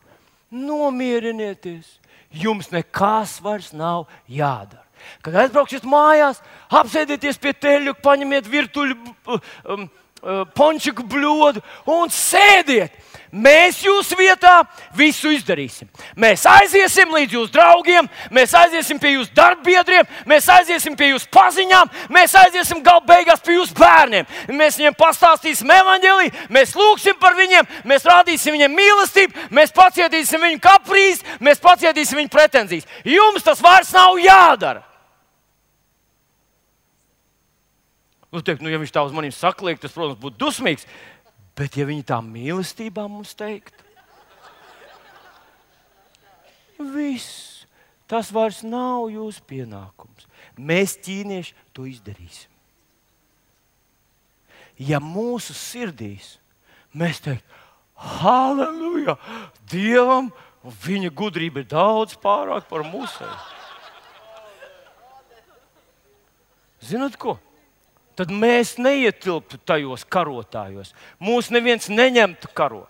nomierinieties, jums nekas vairs nav jādara. Kad aizbrauksiet mājās, apsēdieties pie teļu, paņemiet virtuļu um, pončiku bļodu un sēdiet. Mēs jūsu vietā visu izdarīsim. Mēs aiziesim līdz jūsu draugiem, mēs aiziesim pie jūsu darbbiedriem, mēs aiziesim pie jūsu paziņām, mēs aiziesim galu beigās pie jūsu bērniem. Mēs viņiem pastāstīsim evaņģēliju, mēs lūgsim par viņiem, mēs rādīsim viņiem mīlestību, mēs pacietīsim viņu kaprīzi, mēs pacietīsim viņu pretenzijas. Jums tas vairs nav jādara. Nu, teikt, nu, ja viņš tā uz maniem sakliek, tas, protams, būtu dusmīgs. Bet ja viņi tā mīlestībā mums teikt, viss, tas vairs nav jūsu pienākums. Mēs, ķīnieši, to izdarīsim. Ja mūsu sirdīs mēs teikt, halleluja, Dievam, viņa gudrība ir daudz pārāk par mūsu. Zināt ko? Tad mēs neietilptu tajos karotājos. Mūs neviens neņemtu karot.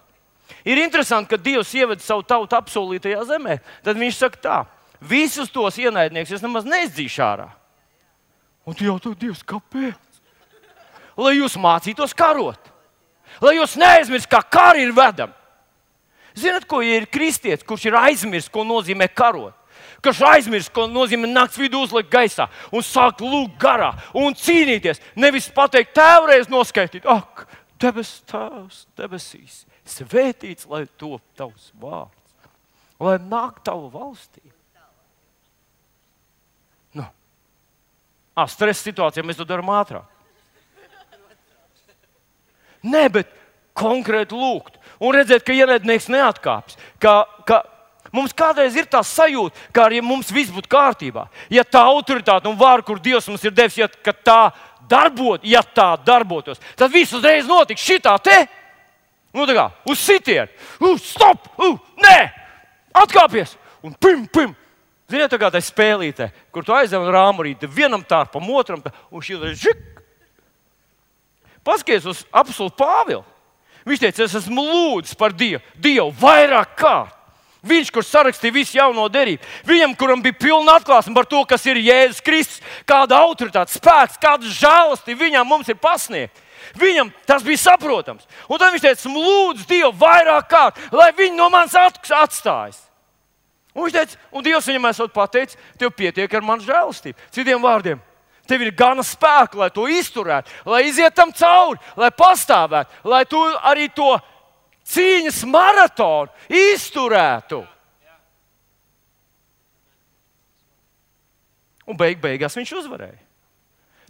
Ir interesanti, ka Dievs ieveda savu tautu apsolītajā zemē. Tad viņš saka tā: visus tos ienaidniekus es nemaz neizdzīšu ārā. Un tu jautā, Dievs, kāpēc? Lai jūs mācītos karot. Lai jūs neaizmirst, kā kari ir vedami. Zināt, ko ja ir kristietis, kurš ir aizmirst, ko nozīmē karot? Kas aizmirst, ko nozīmē nakts vidū uzlikt gaisā un sākt lūgt garā un cīnīties. Nevis pateikt, tēvreiz noskaitīt, ak, debes tēvs, debesīs, svētīts, lai top tavs vārds, lai nāk tava valstība. Nu, ah, stresa situācijā mēs to darām ātrāk. Nē, bet konkrēti lūgt un redzēt, ka ienaidnieks neatkāpjas, ka, ka mums kādreiz ir tā sajūta, ka arī mums viss būtu kārtībā. Ja tā autoritāte un vāra, kur Dievs mums ir devis, ja tā, darbot, ja tā darbotos, tad viss uzreiz notiks šitā te. Nu tā kā, uz sitienu. Uh, stop! Uh, nē! Atkāpies! Un pim, pim! Ziniet, tā kā tā spēlītē, kur tu aizdev un rāmurīti vienam tārpam, otram, un šī ir žik. Paskaties uz apostolu Pāvilu. Viņš teica, es esmu lūdzis par Dievu, Dievu vairāk kārt. Viņš, kurš sarakstīja visu jauno derību, viņam, kuram bija pilna atklāsme par to, kas ir Jēzus Kristus, kāda autoritāte, spēks, kāda žēlastība viņam mums ir pasniegta. Viņam tas bija saprotams. Un tad viņš teica, lūdzu Dievu vairāk kārt, lai viņi no manis atstājas. Un viņš teica, un Dievs viņam esot pateicis, tev pietiek ar manu žēlastību. Citiem vārdiem, tev ir gana spēka, lai to izturētu, lai iziet tam cauri, lai pastāvētu, lai tu arī to cīņas maratonu izturētu. Un beig beigās viņš uzvarēja.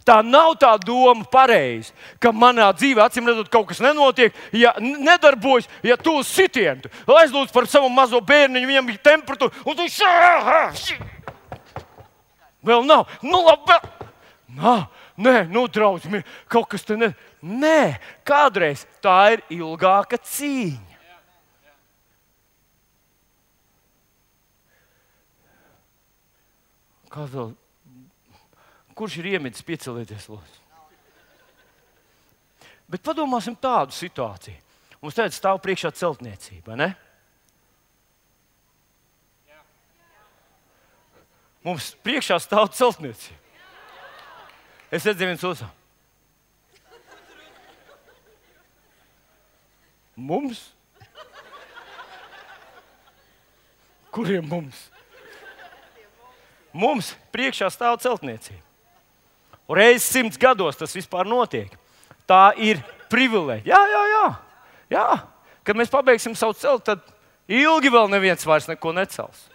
Tā nav tā doma pareizi, ka manā dzīvē, acīm redzot, kaut kas nenotiek, ja nedarbojas, ja tu uz sitienu. Aizlūdz par savu mazo bērniņu, viņam ir temperatūra, un tu šā, vēl nav. Nu labi, nā, nē, nu draudz, kaut kas te ne... Nē, kādreiz tā ir ilgāka cīņa. Kāds vēl? Kurš ir iemidis, piecelieties, lūdzu? Bet padomāsim tādu situāciju. Mums tagad stāv priekšā celtniecība, ne? Mums priekšā stāv celtniecība. Es redzēju viens otru. Mums? Kuriem mums? Mums priekšā stāv celtniecība. Un reizes simts gados tas vispār notiek. Tā ir privilēģija. Jā, jā, jā. jā. Kad mēs pabeigsim savu celtu, tad ilgi vēl neviens vairs neko necels.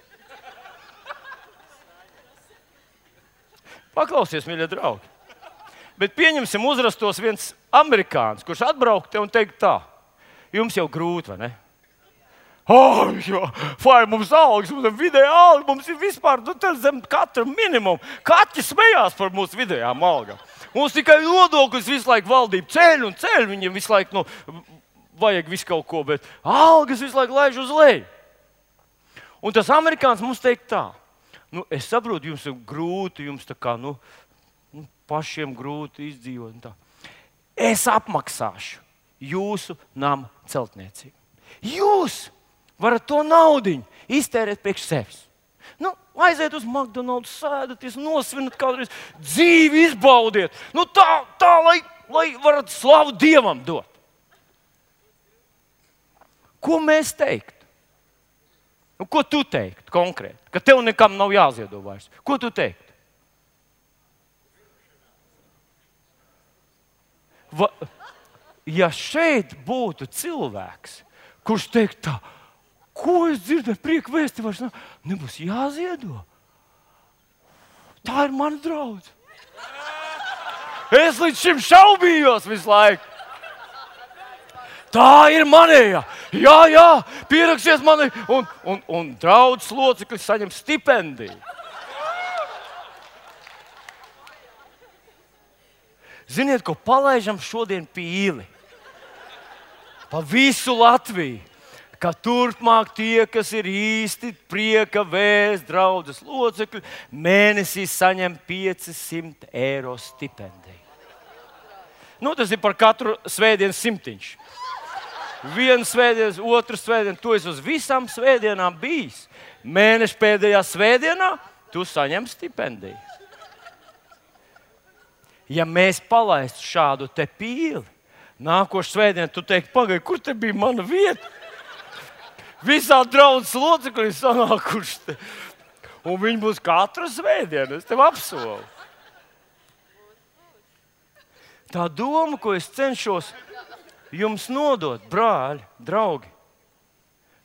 Paklausies, mīļie draugi. Bet pieņemsim uzrastos viens amerikānis, kurš atbrauktu un teikt tā. Jums jau grūti, vai ne? Oh, jā, vai mums algas, mums ir vidēja alga, mums ir vispār nu, zem katra minimumu. Kaķi smējās par mūsu vidējām algām. Mums tikai nodokļus visu laiku valdība ceļ un ceļ. Viņiem visu laiku nu, vajag visu kaut ko, bet algas visu laiku laiž uz leju. Un tas amerikāns mums teikt tā. Nu, es saprotu, jums ir grūti, jums tā kā, nu, nu, pašiem grūti izdzīvot. un tā. Es apmaksāšu jūsu nama celtniecību. Jūs varat to naudiņu iztērēt priekš sevis. Nu, aiziet uz McDonald's, sēdaties, nosvinat kādreiz, dzīvi izbaudiet. Nu, tā, tā lai, lai varat slavu Dievam dot. Ko mēs teiktu? Nu, ko tu teiktu konkrēti? Ka tev nekam nav jāziedo vairs. Ko tu teiktu? Va, ja šeit būtu cilvēks, kurš teikt tā, ko es dzirdēju, prieka vēsti vairs nav, nebūs jāziedo. Tā ir mana draudze. Es līdz šim šaubījos visu laiku. Tā ir manējā. Jā, jā, pieraksties mani. Un, un, un draudzes locekļi saņem stipendiju. Ziniet, ko palaižam šodien pīli? Pa visu Latviju. Ka turpmāk tie, kas ir īsti prieka vēsts draudzes locekļi, mēnesī saņem piecsimt eiro stipendiju. Nu, tas ir par katru svētdienu simtiņš. Vienu svētdienu, otru svētdienu, tu esi uz visām svētdienām bijis. Mēneša pēdējā svētdienā tu saņem stipendiju. Ja mēs palaistu šādu te pīli, nākošu svētdienu tu teiktu, pagaidi, kur te bija mana vieta? Visā draudzes locekļi sanākuši te. Un viņi būs katru svētdienu, es tev apsolu. Tā doma, ko es cenšos jums nodot, brāļi, draugi,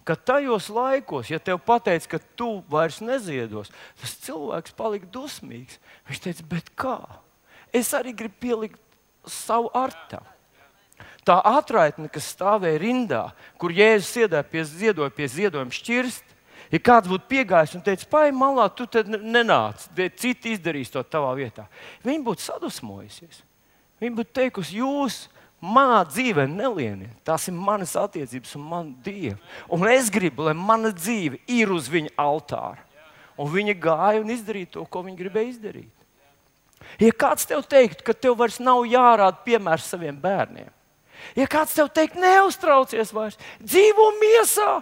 ka tajos laikos, ja tev pateic, ka tu vairs neziedos, tas cilvēks palika dusmīgs. Viņš teica, bet kā? Es arī gribu pielikt savu artavu. Tā atraitne, kas stāvēja rindā, kur Jēzus iedēja pie ziedoja pie ziedojuma šķirst, ja kāds būtu piegājis un teicis, pai malā, tu te nenāc, citi izdarīs to tavā vietā. Viņi būtu sadusmojusies. Viņi būtu teikusi, jūs manā dzīvē nelieniet. Tās ir manas attiecības un man Dievu. Un es gribu, lai mana dzīve ir uz viņa altāra. Un viņa gāja un izdarīja to, ko viņa gribēja izdarīt. Ja kāds tev teiktu, ka tev vairs nav jārāda piemērs saviem bērniem, ja kāds tev teikt, neuztraucies vairs, dzīvo miesā,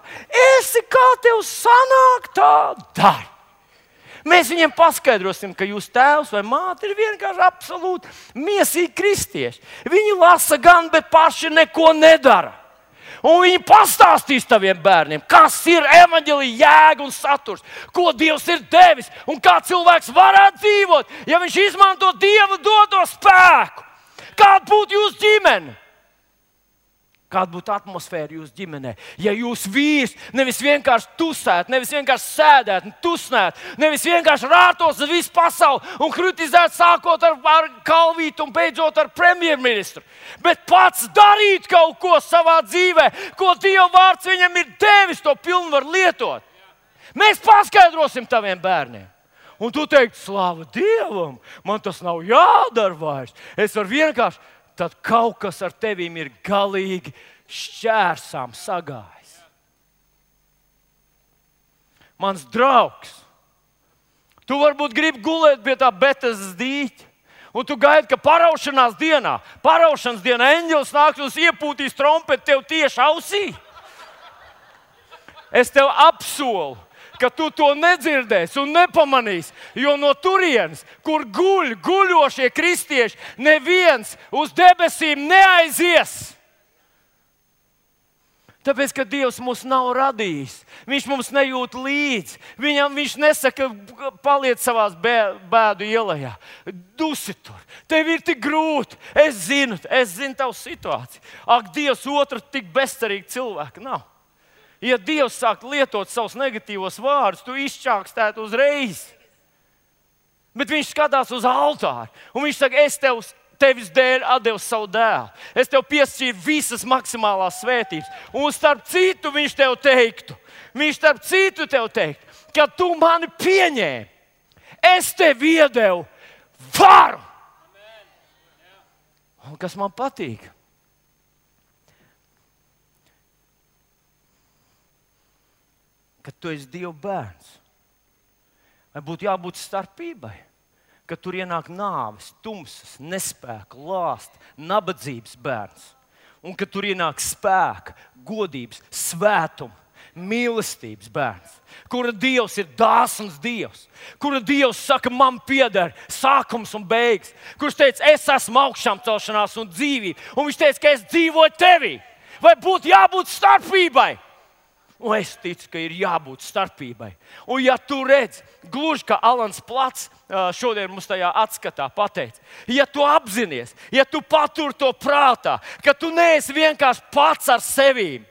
esi kā tev sanāk, tā dari. Mēs viņiem paskaidrosim, ka jūs tēvs vai māte ir vienkārši absolūti miesīgi kristieši. Viņi lasa gan, bet paši neko nedara. Un viņi pastāstīs taviem bērniem, kas ir evaņģēlija jēga un saturs, ko Dievs ir devis un kā cilvēks varētu dzīvot, ja viņš izmanto Dieva doto spēku. Kāda būtu jūsu ģimene? Kāda būtu atmosfēra jūsu ģimenē? Ja jūs vīrs nevis vienkārši tusētu, nevis vienkārši sēdētu un tusnētu, nevis vienkārši rātos uz visu pasauli un kritizētu sākot ar, ar Kalvītu un beidzot ar premjerministru, bet pats darīt kaut ko savā dzīvē, ko Dieva vārds viņam ir devis, to pilnvaru lietot. Mēs paskaidrosim taviem bērniem. Un tu teiksi, slāva Dievam, man tas nav jādara vairs. Es varu vienkārši... Tad kaut kas ar tevīm ir galīgi šķērsām sagājis. Mans draugs, tu varbūt gribi gulēt pie tā Betesdas dīķa, un tu gaidi, ka paraušanās dienā, paraušanas dienā eņģelis nāks un iepūtīs trompeti tev tieši ausī. Es tev apsolu, ka tu to nedzirdēsi un nepamanīsi, jo no turienes, kur guļ guļošie kristieši, neviens uz debesīm neaizies. Tāpēc, ka Dievs mūs nav radījis, Viņš mums nejūt līdzi, Viņam Viņš nesaka, paliec savās bēdu ielajā, dusi tur, tev ir tik grūti, es zinu, es zinu tavu situāciju. Ak, Dievs otru tik bezcerīgi cilvēku nav. Ja Dievs sāk lietot savus negatīvos vārdus, tu izčākstētu uzreiz. Bet viņš skatās uz altāru, un viņš saka, es tev, tevis dēļ atdevu savu dēlu. Es tev piešķīru visas maksimālās svētības. Un starp citu viņš tev teiktu, viņš starp citu tev teiktu, ka tu mani pieņēmi. Es tev iedevu varu. Un kas man patīk? Ka tu esi Dieva bērns. Vai būtu jābūt starpībai, ka tur ienāk nāves, tumsas, nespēka, lāsta, nabadzības bērns, un ka tur ienāk spēka, godības, svētuma, mīlestības bērns, kura Dievs ir dāsns Dievs, kura Dievs saka, man pieder sākums un beigas, kurš teica, es esmu augšām celšanās un dzīvība, un viņš teica, ka es dzīvoju tevī. Vai būtu jābūt starpībai? Un es ticu, ka ir jābūt starpībai. Un ja tu redz, gluži kā Alans Plats šodien mums tajā atskatā pateica, ja tu apzinies, ja tu patur to prātā, ka tu neesi vienkārši pats ar sevīm,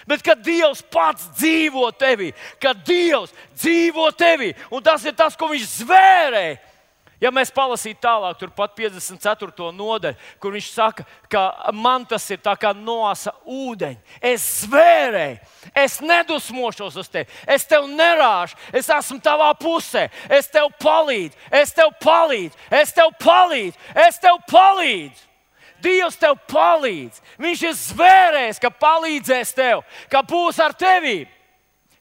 bet kad Dievs pats dzīvo tevī, kad Dievs dzīvo tevī, un tas ir tas, ko viņš zvērēja. Ja mēs palasītu tālāk, turpat piecdesmit ceturto nodaļu, kur viņš saka, ka man tas ir tā kā noasa ūdeņi. Es zvērēju, es nedusmošos uz tevi, es tev nerāžu, es esmu tavā pusē, es tev palīdzu, es tev palīdzu, es tev palīdzu, es tev palīdzu. Dievs tev palīdz. Viņš ir zvērējis, ka palīdzēs tev, ka būs ar tevi.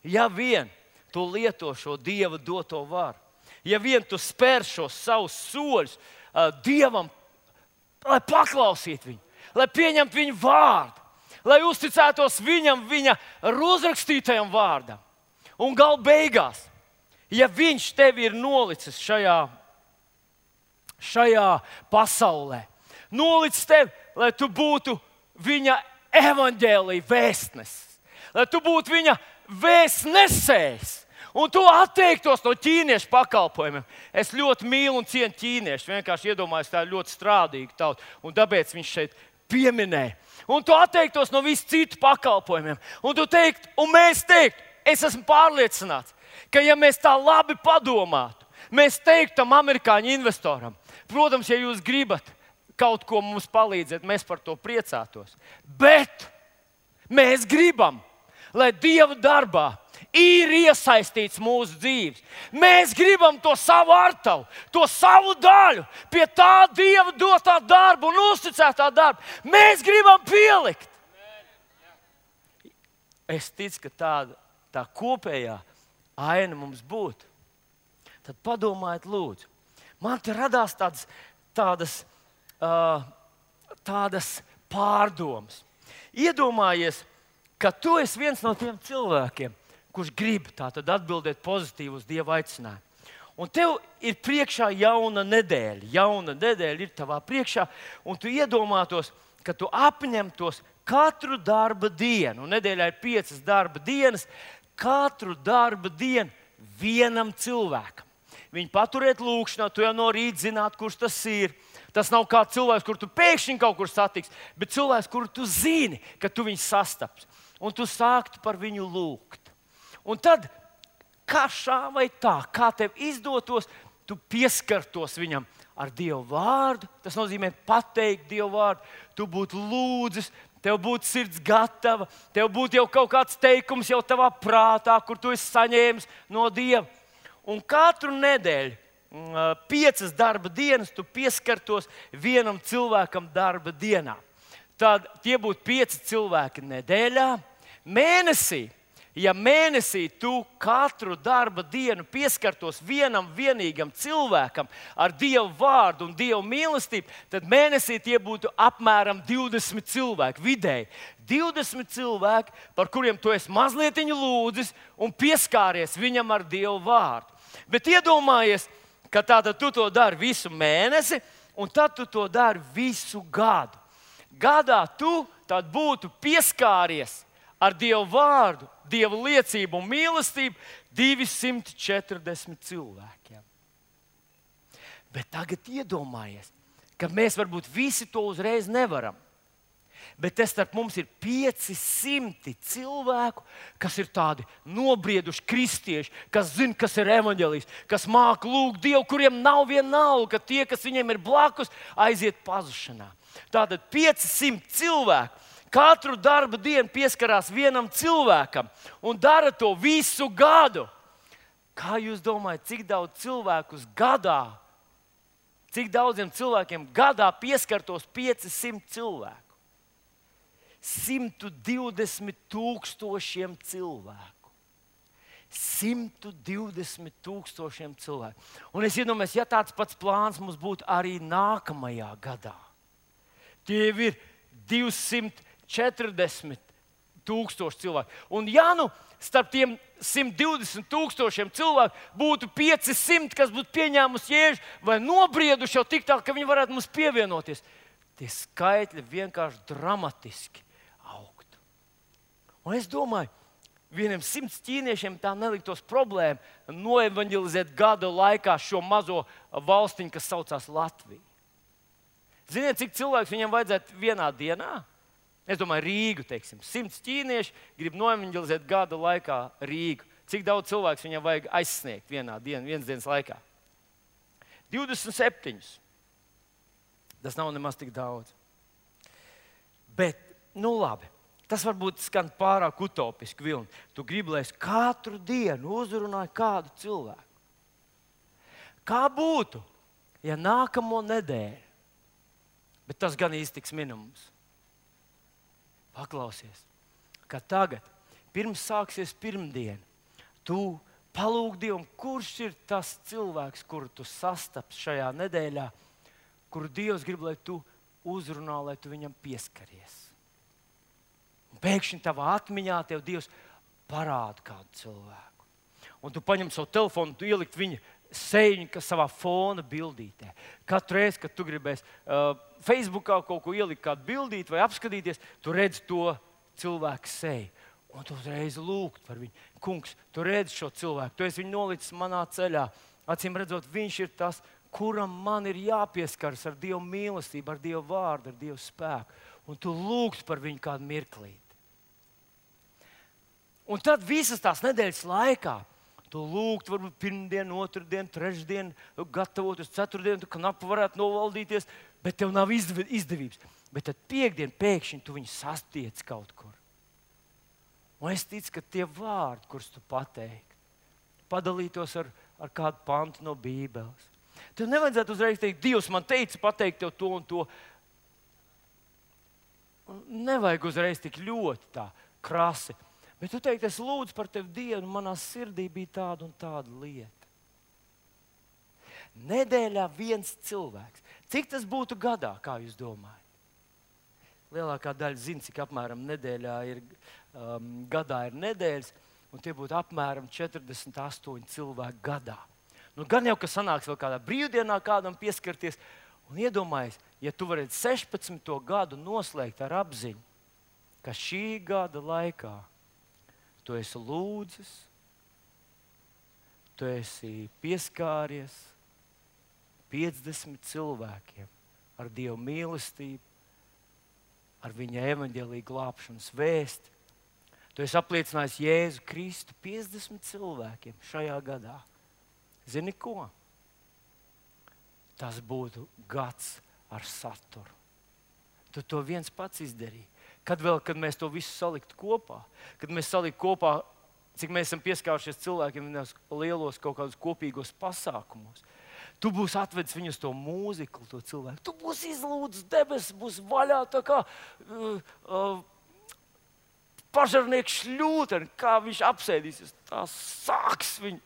Ja vien tu lieto šo Dieva doto varu. Ja vien tu spēr šos savus soļus uh, Dievam, lai paklausītu viņu, lai pieņemtu viņu vārdu, lai uzticētos viņam, viņa uzrakstītajam vārdam. Un gal beigās, ja viņš tevi ir nolicis šajā, šajā pasaulē, nolicis tevi, lai tu būtu viņa evaņģēlija vēstnesis, lai tu būtu viņa vēstnesējs, un tu atteiktos no ķīniešu pakalpojumiem. Es ļoti mīlu un cienu ķīniešu. Vienkārši iedomājos, tā ir ļoti strādīga tauta. Un tāpēc viņš šeit pieminēja. Un tu atteiktos no visu citu pakalpojumiem. Un tu teikt, un mēs teiktu, es esmu pārliecināts, ka ja mēs tā labi padomātu, mēs teiktu tam amerikāņu investoram, protams, ja jūs gribat kaut ko mums palīdzēt, mēs par to priecātos. Bet mēs gribam, lai Dieva darbā ir iesaistīts mūsu dzīves. Mēs gribam to savu artavu, to savu daļu pie tā Dieva dotā darba un uzticētā darba. Mēs gribam pielikt. Es ticu, ka tāda tā kopējā aina mums būtu. Tad padomājiet, lūdzu. Man te radās tādas, tādas, uh, tādas pārdomas. Iedomājies, ka tu esi viens no tiem cilvēkiem, kurš grib tātad atbildēt pozitīvi uz Dieva aicinājumu. Un tev ir priekšā jauna nedēļa. Jauna nedēļa ir tavā priekšā, un tu iedomātos, ka tu apņemtos katru darba dienu. Un nedēļā ir piecas darba dienas, katru darba dienu vienam cilvēkam. Viņu paturēt lūkšanā, tu jau no rīta zināt, kurš tas ir. Tas nav kā cilvēks, kur tu pēkšņi kaut kur satiksi, bet cilvēks, kuru tu zini, ka tu viņu sastaps. Un tu sāktu par viņu lūgt. Un tad, kā šā vai tā, kā tev izdotos, tu pieskartos viņam ar Dievu vārdu. Tas nozīmē pateikt Dievu vārdu. Tu būtu lūdzis, tev būtu sirds gatava, tev būtu jau kaut kāds teikums jau tavā prātā, kur tu esi saņēmis no Dieva. Un katru nedēļu, piecas darba dienas, tu pieskartos vienam cilvēkam darba dienā. Tad tie būtu pieci cilvēki nedēļā. Mēnesī, ja mēnesī tu katru darba dienu pieskartos vienam vienīgam cilvēkam ar Dievu vārdu un Dievu mīlestību, tad mēnesī tie būtu apmēram divdesmit cilvēki vidēji. divdesmit cilvēki, par kuriem tu esi mazliet lūdzis un pieskāries viņam ar Dievu vārdu. Bet iedomājies, ka tātad tu to dari visu mēnesi, un tad tu to dari visu gadu. Gadā tu tad būtu pieskāries ar Dievu vārdu, Dieva liecību un mīlestību divsimt četrdesmit cilvēkiem. Bet tagad iedomājies, ka mēs varbūt visi to uzreiz nevaram. Bet te starp mums ir pieci simti cilvēku, kas ir tādi nobrieduši kristieši, kas zina, kas ir evaņģēlijs, kas māca lūgt Dievu, kuriem nav vienalga, ka tie, kas viņiem ir blakus, aiziet pazušanā. Tātad pieci simti cilvēku katru darba dienu pieskarās vienam cilvēkam un dara to visu gadu. Kā jūs domājat, cik daudz cilvēkus gadā, cik daudziem cilvēkiem gadā pieskartos pieci simti cilvēku? simt divdesmit tūkstošiem cilvēku. simt divdesmit tūkstošiem cilvēku. Un es iedomājos, ja tāds pats plāns mums būtu arī nākamajā gadā. Tie ir divsimt četrdesmit tūkstoši cilvēki. Un ja nu starp tiem simt divdesmit tūkstošiem cilvēku būtu pieci simti, kas būtu pieņēmusi Jēzu vai nobrieduši jau tik tālu, ka viņi varētu mums pievienoties, tie skaitļi vienkārši dramatiski augtu. Un es domāju, vieniem simts ķīniešiem tā neliktos problēma noevanģelizēt gada laikā šo mazo valstiņu, kas saucās Latvija. Ziniet, cik cilvēks viņam vajadzētu vienā dienā? Es domāju, Rīgu, teiksim. Simts ķīnieši grib noevanģelizēt gada laikā Rīgu. Cik daudz cilvēks viņam vajag aizsniegt vienā dienā, vienas dienas laikā? divdesmit septiņus. Tas nav nemaz tik daudz. Bet, nu labi. Tas varbūt skan pārāk utopiski, Vilni. Tu gribi, lai es katru dienu uzrunāju kādu cilvēku. Kā būtu, ja nākamo nedēļu, bet tas gan īsti tiks minimums. Paklausies, ka tagad, pirms sāksies pirmdiena, tu palūg Dievam, kurš ir tas cilvēks, kuru tu sastaps šajā nedēļā, kuru Dievs grib, lai tu uzrunā, lai tu viņam pieskaries. Un pēkšņi tavā atmiņā tev Dievs parāda kādu cilvēku. Un tu paņem savu telefonu, tu ielikt viņa seju, kas savā fona bildītē. Katru reizi, kad tu gribēsi uh, Facebookā kaut ko ielikt, kādu bildīt vai apskatīties, tu redzi to cilvēku seju. Un tu uzreiz lūgt par viņu. Kungs, tu redzi šo cilvēku, tu esi viņu nolicis manā ceļā. Acīm redzot, viņš ir tas, kuram man ir jāpieskaras ar Dievu mīlestību, ar Dievu vārdu, ar Dievu spēku. Un tu lūgst par viņu kādu mirklīti. Un tad visas tās nedēļas laikā tu lūgt, varbūt pirmdienu, otrdienu, trešdienu, gatavoties ceturtdienu, tu knapi varētu novaldīties, bet tev nav izdevības. Bet tad piekdien pēkšņi tu viņu sastiec kaut kur. Un es ticu, ka tie vārdi, kurus tu pateikti, padalītos ar, ar kādu pantu no Bībeles. Tev nevajadzētu uzreiz teikt, Dievs man teica pateikt tev to un to. Nevajag uzreiz tik ļoti tā krasi. Bet tu teikt, es lūdzu par tevi Dievu, un manā sirdī bija tāda un tāda lieta. Nedēļā viens cilvēks. Cik tas būtu gadā, kā jūs domājat? Lielākā daļa zina, cik apmēram nedēļā ir, um, gadā ir nedēļas, un tie būtu apmēram četrdesmit astoņi cilvēki gadā. Nu, gan jau, ka sanāks vēl kādā brīvdienā kādam pieskarties, un iedomājies, ja tu varētu sešpadsmito gadu noslēgt ar apziņu, ka šī gada laikā tu esi lūdzis, tu esi pieskāries piecdesmit cilvēkiem ar Dievu mīlestību, ar viņa evaņģēlīgu glābšanas vēsti. Tu esi apliecinājis Jēzu Kristu piecdesmit cilvēkiem šajā gadā. Zini ko? Tas būtu gads ar saturu. Tu to viens pats izdarīji. Kad vēl, kad mēs to visu saliktu kopā, kad mēs saliktu kopā, cik mēs esam pieskārušies cilvēkiem lielos kaut kādos kopīgos pasākumos, tu būsi atvedis viņus to mūziklu, to cilvēku. Tu būsi izlūdzis debesis, būs vaļā tā kā uh, uh, pažarnieks šļūteni, kā viņš apsēdīsies. Tā sāks viņu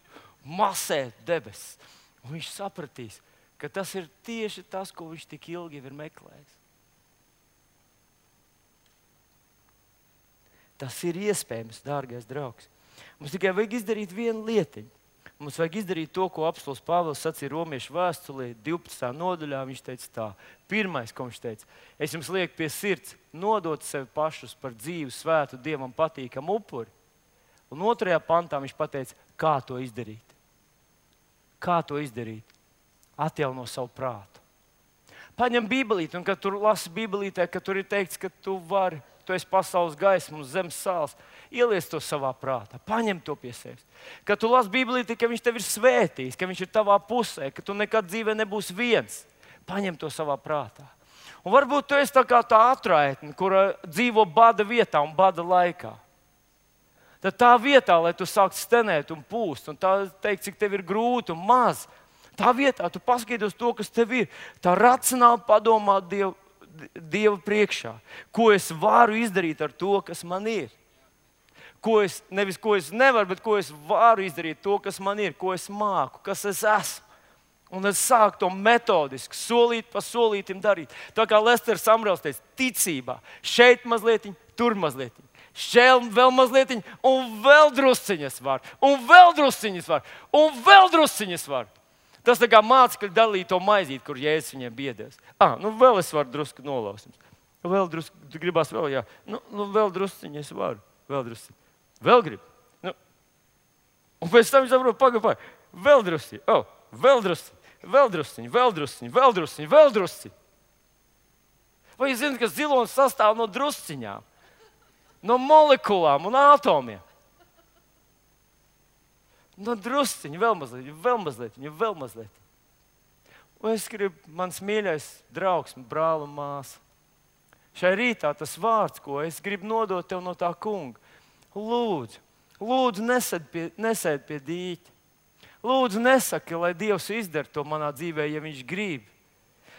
masēt debesis. Un viņš sapratīs, ka tas ir tieši tas, ko viņš tik ilgi ir meklējis. Tas ir iespējams, dārgais draugs. Mums tikai vajag izdarīt vienu lietiņu. Mums vajag izdarīt to, ko apostols Pāvils sacīja Romiešu vēstulē, divpadsmitajā nodaļā. Viņš teica tā, pirmais, ko viņš teica, es jums lieku pie sirds nodot sevi pašus par dzīvu, svētu, Dievam patīkamu upuri. Un otrajā pantā viņš pateica, kā to izdarīt. Kā to izdarīt? Atjauno savu prātu. Paņem Bībelīti, un kad tur lasi Bībelītē, ka tur ir teikts, ka tu vari, tu esi pasaules gaisma un zemes sāls, ieliec to savā prātā, paņem to pie sevis. Kad tu lasi Bībelīti, ka viņš tev ir svētījis, ka viņš ir tavā pusē, ka tu nekad dzīvē nebūsi viens, paņem to savā prātā. Un varbūt tu esi tā kā tā atraitne, kura dzīvo bada vietā un bada laikā. Tad tā vietā, lai tu sāktu stenēt un pūst, un tā teikt, cik tev ir grūti un maz, tā vietā tu paskaties to, kas tev ir. Tā racionāli padomā Dievu, Dievu priekšā. Ko es varu izdarīt ar to, kas man ir? ko es, nevis ko es nevaru, bet ko es varu izdarīt, to, kas man ir, ko es māku, kas es esmu. Un es sāku to metodiski, solīt pa solītim darīt. Tā kā Lesters Samrels teica, ticībā. Šeit mazliet, tur mazliet. Šeit vēl mazliet, un vēl drusciņas var. Un vēl drusciņas var. Un vēl drusciņas var. Tas tā kā mācekļi dalīja to maizīt, kur Jēzus viņiem biedēs. Ah, nu vēl es varu drusku nolaust. Vēl drusku, tu gribās vēl, jā. Nu, nu vēl drusciņas varu. Vēl drusciņas. Vēl grib. Nu. Un pēc tam viņš saprot, pagaid, pagaid. Vēl drusciņas. Oh, vēl drusciņas. Vēl drusciņi, vēl drusciņi, vēl drusciņi, vēl drusciņi. Vai jūs zināt, ka zilonis sastāv no drusciņām, no molekulām un atomiem? No drusciņi, vēl mazliet, vēl mazliet, vēl mazliet. Un es gribu, mans mīļais draugs, brāl un māsa, šai rītā tas vārds, ko es gribu nodot tev no tā kunga. Lūdzu, lūdzu nesēd pie, nesēd pie dīķa. Lūdzu, nesaki, lai Dievs izdara to manā dzīvē, ja viņš grib.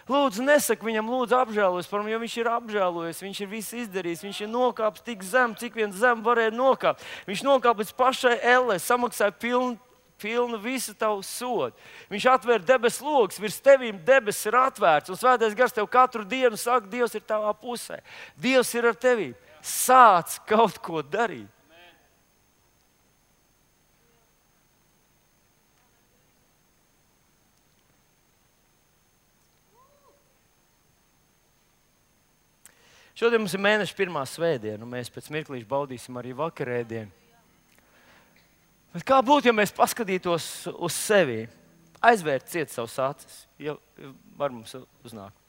Lūdzu, nesaki viņam, lūdzu, apžēlojies par viņu, jo viņš ir apžēlojies, viņš ir visu izdarījis, viņš ir nokāpis tik zem, cik vien zem varēja nokāpt. Viņš nokāpa līdz pašai ellē, samaksāja pilnu, pilnu visu tavu sodu. Viņš atvēra debesu logus, virs tevīm debesis ir atvērts, un Svētais Gars tev katru dienu saka, Dievs ir tavā pusē. Dievs ir ar tevīm. Sāc kaut ko darīt. Šodien mums ir mēneša pirmā svētdiena, un mēs pēc mirklīša baudīsim arī vakarēdienu. Bet kā būtu, ja mēs paskatītos uz sevi, aizvērt ciet savus acis, ja var mums uznākt.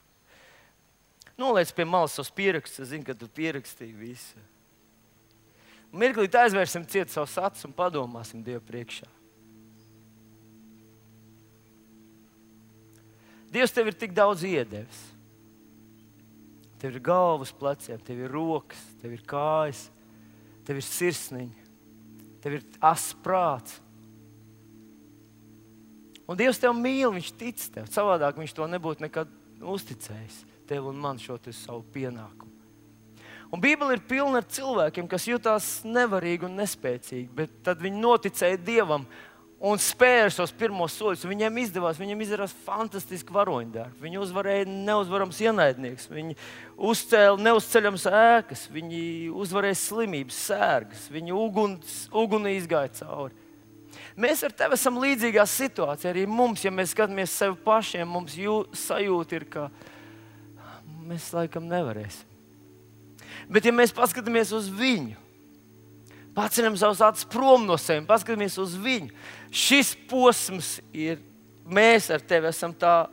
Noliec pie malas savus pierakstus, es zinu, ka tu pierakstīji visu. Mirklīt aizvērsim ciet savus acis un padomāsim Dievu priekšā. Dievs tev ir tik daudz iedevis. Tev ir galvas pleciem, tev ir rokas, tev ir kājas, tev ir sirsniņa, tev ir asas prāts. Un Dievs tev mīl, viņš tic tev. Savādāk viņš to nebūtu nekad uzticējis tev un man šo savu pienākumu. Un Bībele ir pilna ar cilvēkiem, kas jutās nevarīgi un nespēcīgi, bet tad viņi noticēja Dievam un spēra šos pirmos soļus. Viņiem izdevās, viņiem izdarās fantastiski varoņdarbi. Viņi uzvarēja neuzvarams ienaidnieks, viņi uzcēla neuzceļamas ēkas, viņi uzvarēja slimības, sērgas, viņi uguns, uguni izgāja cauri. Mēs ar tevi esam līdzīgā situācijā. Arī mums, ja mēs skatāmies sevi pašiem, mums jū, sajūta ir, ka mēs laikam nevarēsim. Bet ja mēs paskatāmies uz viņu, paceļam savus acis prom no sevis, paskatāmies uz viņu. Šis posms ir, mēs ar tevi esam tā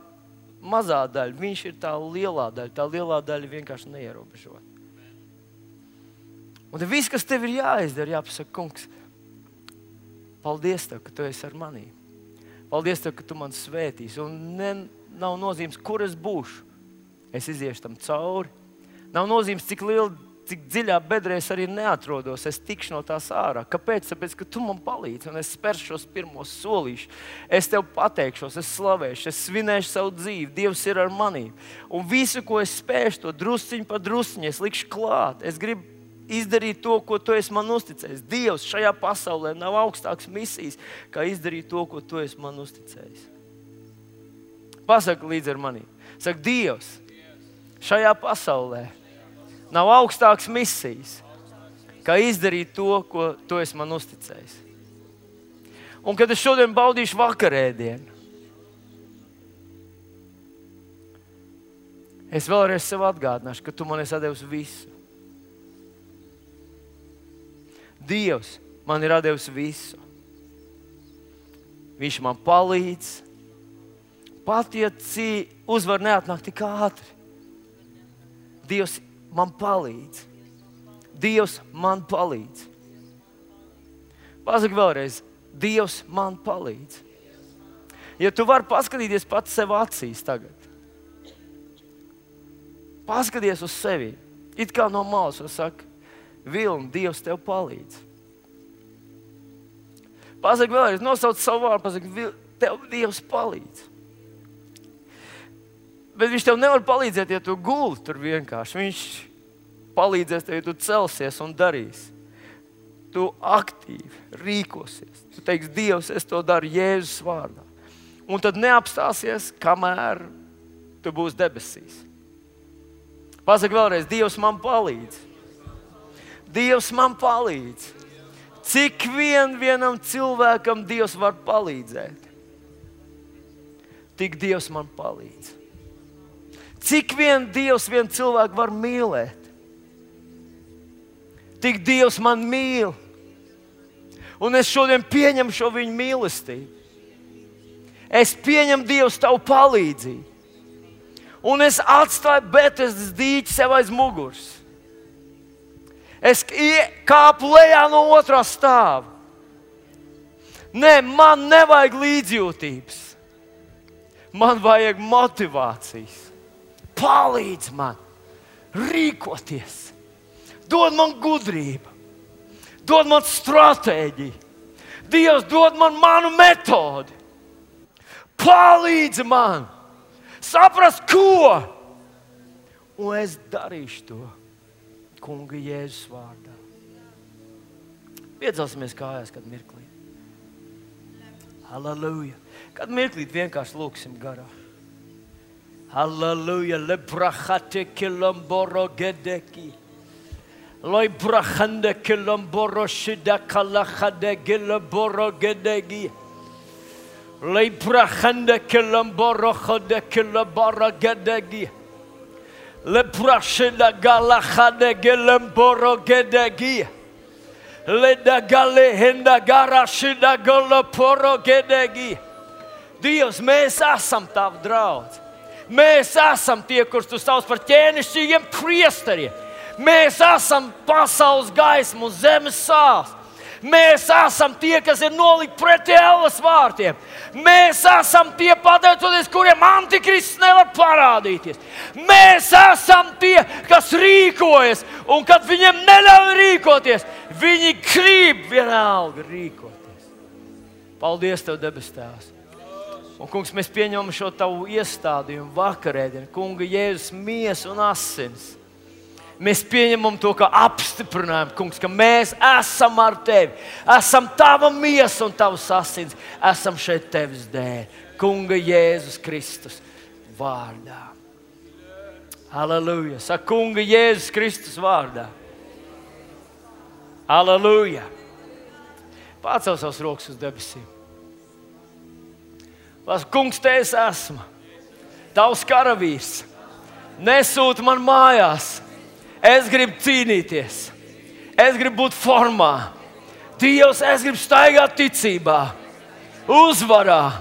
mazā daļa, viņš ir tā lielā daļa. Tā lielā daļa vienkārši neierobežota. Un tad viss, kas tev ir jāizdara, jāpasaka, kungs, paldies tev, ka tu esi ar manī. Paldies tev, ka tu man svētīsi. Un ne, nav nozīmes, kur es būšu. Es iziešu tam cauri. Nav nozīmes, cik liela, cik dziļā bedrē es arī neatrodos, es tikšu no tās ārā. Kāpēc? Tāpēc, ka tu man palīdzi un es spēršu šos pirmos solīšus. Es tev pateikšos, es slavēšu, es svinēšu savu dzīvi. Dievs ir ar manī. Un visu, ko es spēšu, to drusciņu pa drusciņu, es likšu klāt. Es gribu izdarīt to, ko tu esi man uzticējis. Dievs šajā pasaulē nav augstāks misijas, kā izdarīt to, ko tu esi man uzticējis. Pasaka līdz ar manī. Saka, Dievs, šajā pasaulē nav augstāks misijas, kā izdarīt to, ko tu esi man uzticējis. Un kad es šodien baudīšu vakarēdienu, es vēlreiz sev atgādināšu, ka tu man esi devis visu. Dievs man ir devis visu. Viņš man palīdz. Pat ja uzvar neatnāk tik ātri. Dievs man palīdz. Dievs man palīdz. Pasaki vēlreiz. Dievs man palīdz. Ja tu vari paskatīties pats sev acīs tagad. Paskaties uz sevi. It kā no malas un saka, Vilni, Dievs tev palīdz. Pasaki vēlreiz, nosauc savu vārdu, pasaki, tev Dievs palīdz. Bet viņš tev nevar palīdzēt, ja tu guli tur vienkārši. Viņš palīdzēs tev, ja tu celsies un darīsi. tu aktīvi rīkosies. Tu teiksi, Dievs, es to daru Jēzus vārdā. Un tad neapstāsies, kamēr tu būsi debesīs. Pasaki vēlreiz, Dievs man palīdz. Dievs man palīdz. Cik vien vienam cilvēkam Dievs var palīdzēt, tik Dievs man palīdz. Cik vien Dievs vien cilvēku var mīlēt, tik Dievs man mīl. Un es šodien pieņemu šo viņa mīlestību. Es pieņemu Dievs tavu palīdzību. Un es atstāju Betesdas dīķi sev aiz muguras. Es kāpu lejā no otrā stāva. Nē, man nevajag līdzjūtības. Man vajag motivācijas. Palīdz man rīkoties. Dod man gudrību. Dod man stratēģiju. Dievs dod man manu metodi. Palīdz man saprast, ko. Un es darīšu to Kunga Jēzus vārdā. Piedzelsimies kājās kādu mirklīt. Halleluja. Kādu mirklīt vienkārši lūksim garā. Halleluja. Lebrahate kilamboro gedeki. Loi brahande kilamboro shida kalahade gilaboro gedegi. Lei brahande kilamboro khode kilabara gedegi. Le brashida galahade gelemboro gedegi. Le dagale henda garashida goloporo gedegi. Dievs, mēs esam tavi draudzi. Mēs esam tie, kurus tu sauc par ķēnišķīgiem priesteriem. Mēs esam pasaules gaisma un zemes sāls. Mēs esam tie, kas ir nolikti pretī elles vārtiem. Mēs esam tie, pateicoties, kuriem antikrists nevar parādīties. Mēs esam tie, kas rīkojas, un kad viņiem neļauj rīkoties, viņi grib vienalga rīkoties. Paldies Tev, debes Tēvs. Un, kungs, mēs pieņemam šo Tavu iestādījumu vakarēdienu, Kunga Jēzus miesa un asins. Mēs pieņemam to kā apstiprinājumu, kungs, ka mēs esam ar Tevi. Esam Tava miesa un Tavs asins. Esam šeit Tevis dēļ. Kunga Jēzus Kristus vārdā. Halleluja. Saka, Kunga Jēzus Kristus vārdā. Halleluja. Pacel savus rokas uz debesīm. Pasaka, kungs, Te es esmu. Tavs karavīrs. Nesūti man mājās. Es gribu cīnīties. Es gribu būt formā. Dievs, es gribu staigāt ticībā, uzvarā.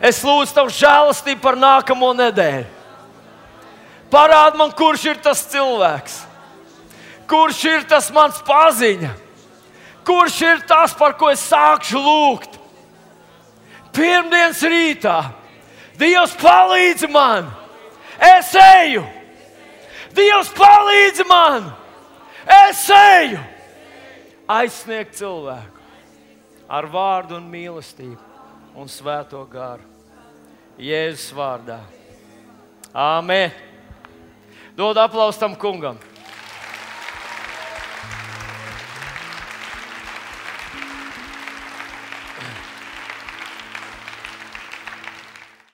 Es lūdzu Tavu žēlastību par nākamo nedēļu. Parādi man, kurš ir tas cilvēks. Kurš ir tas mans paziņa. Kurš ir tas, par ko es sākšu lūgt. Pirmdienas rītā. Dievs, palīdzi man. Es eju. Dievs, palīdzi man! Es eju! Aizsniegt cilvēku ar vārdu un mīlestību un svēto garu. Jēzus vārdā. Āmen! Dod aplausu tam kungam!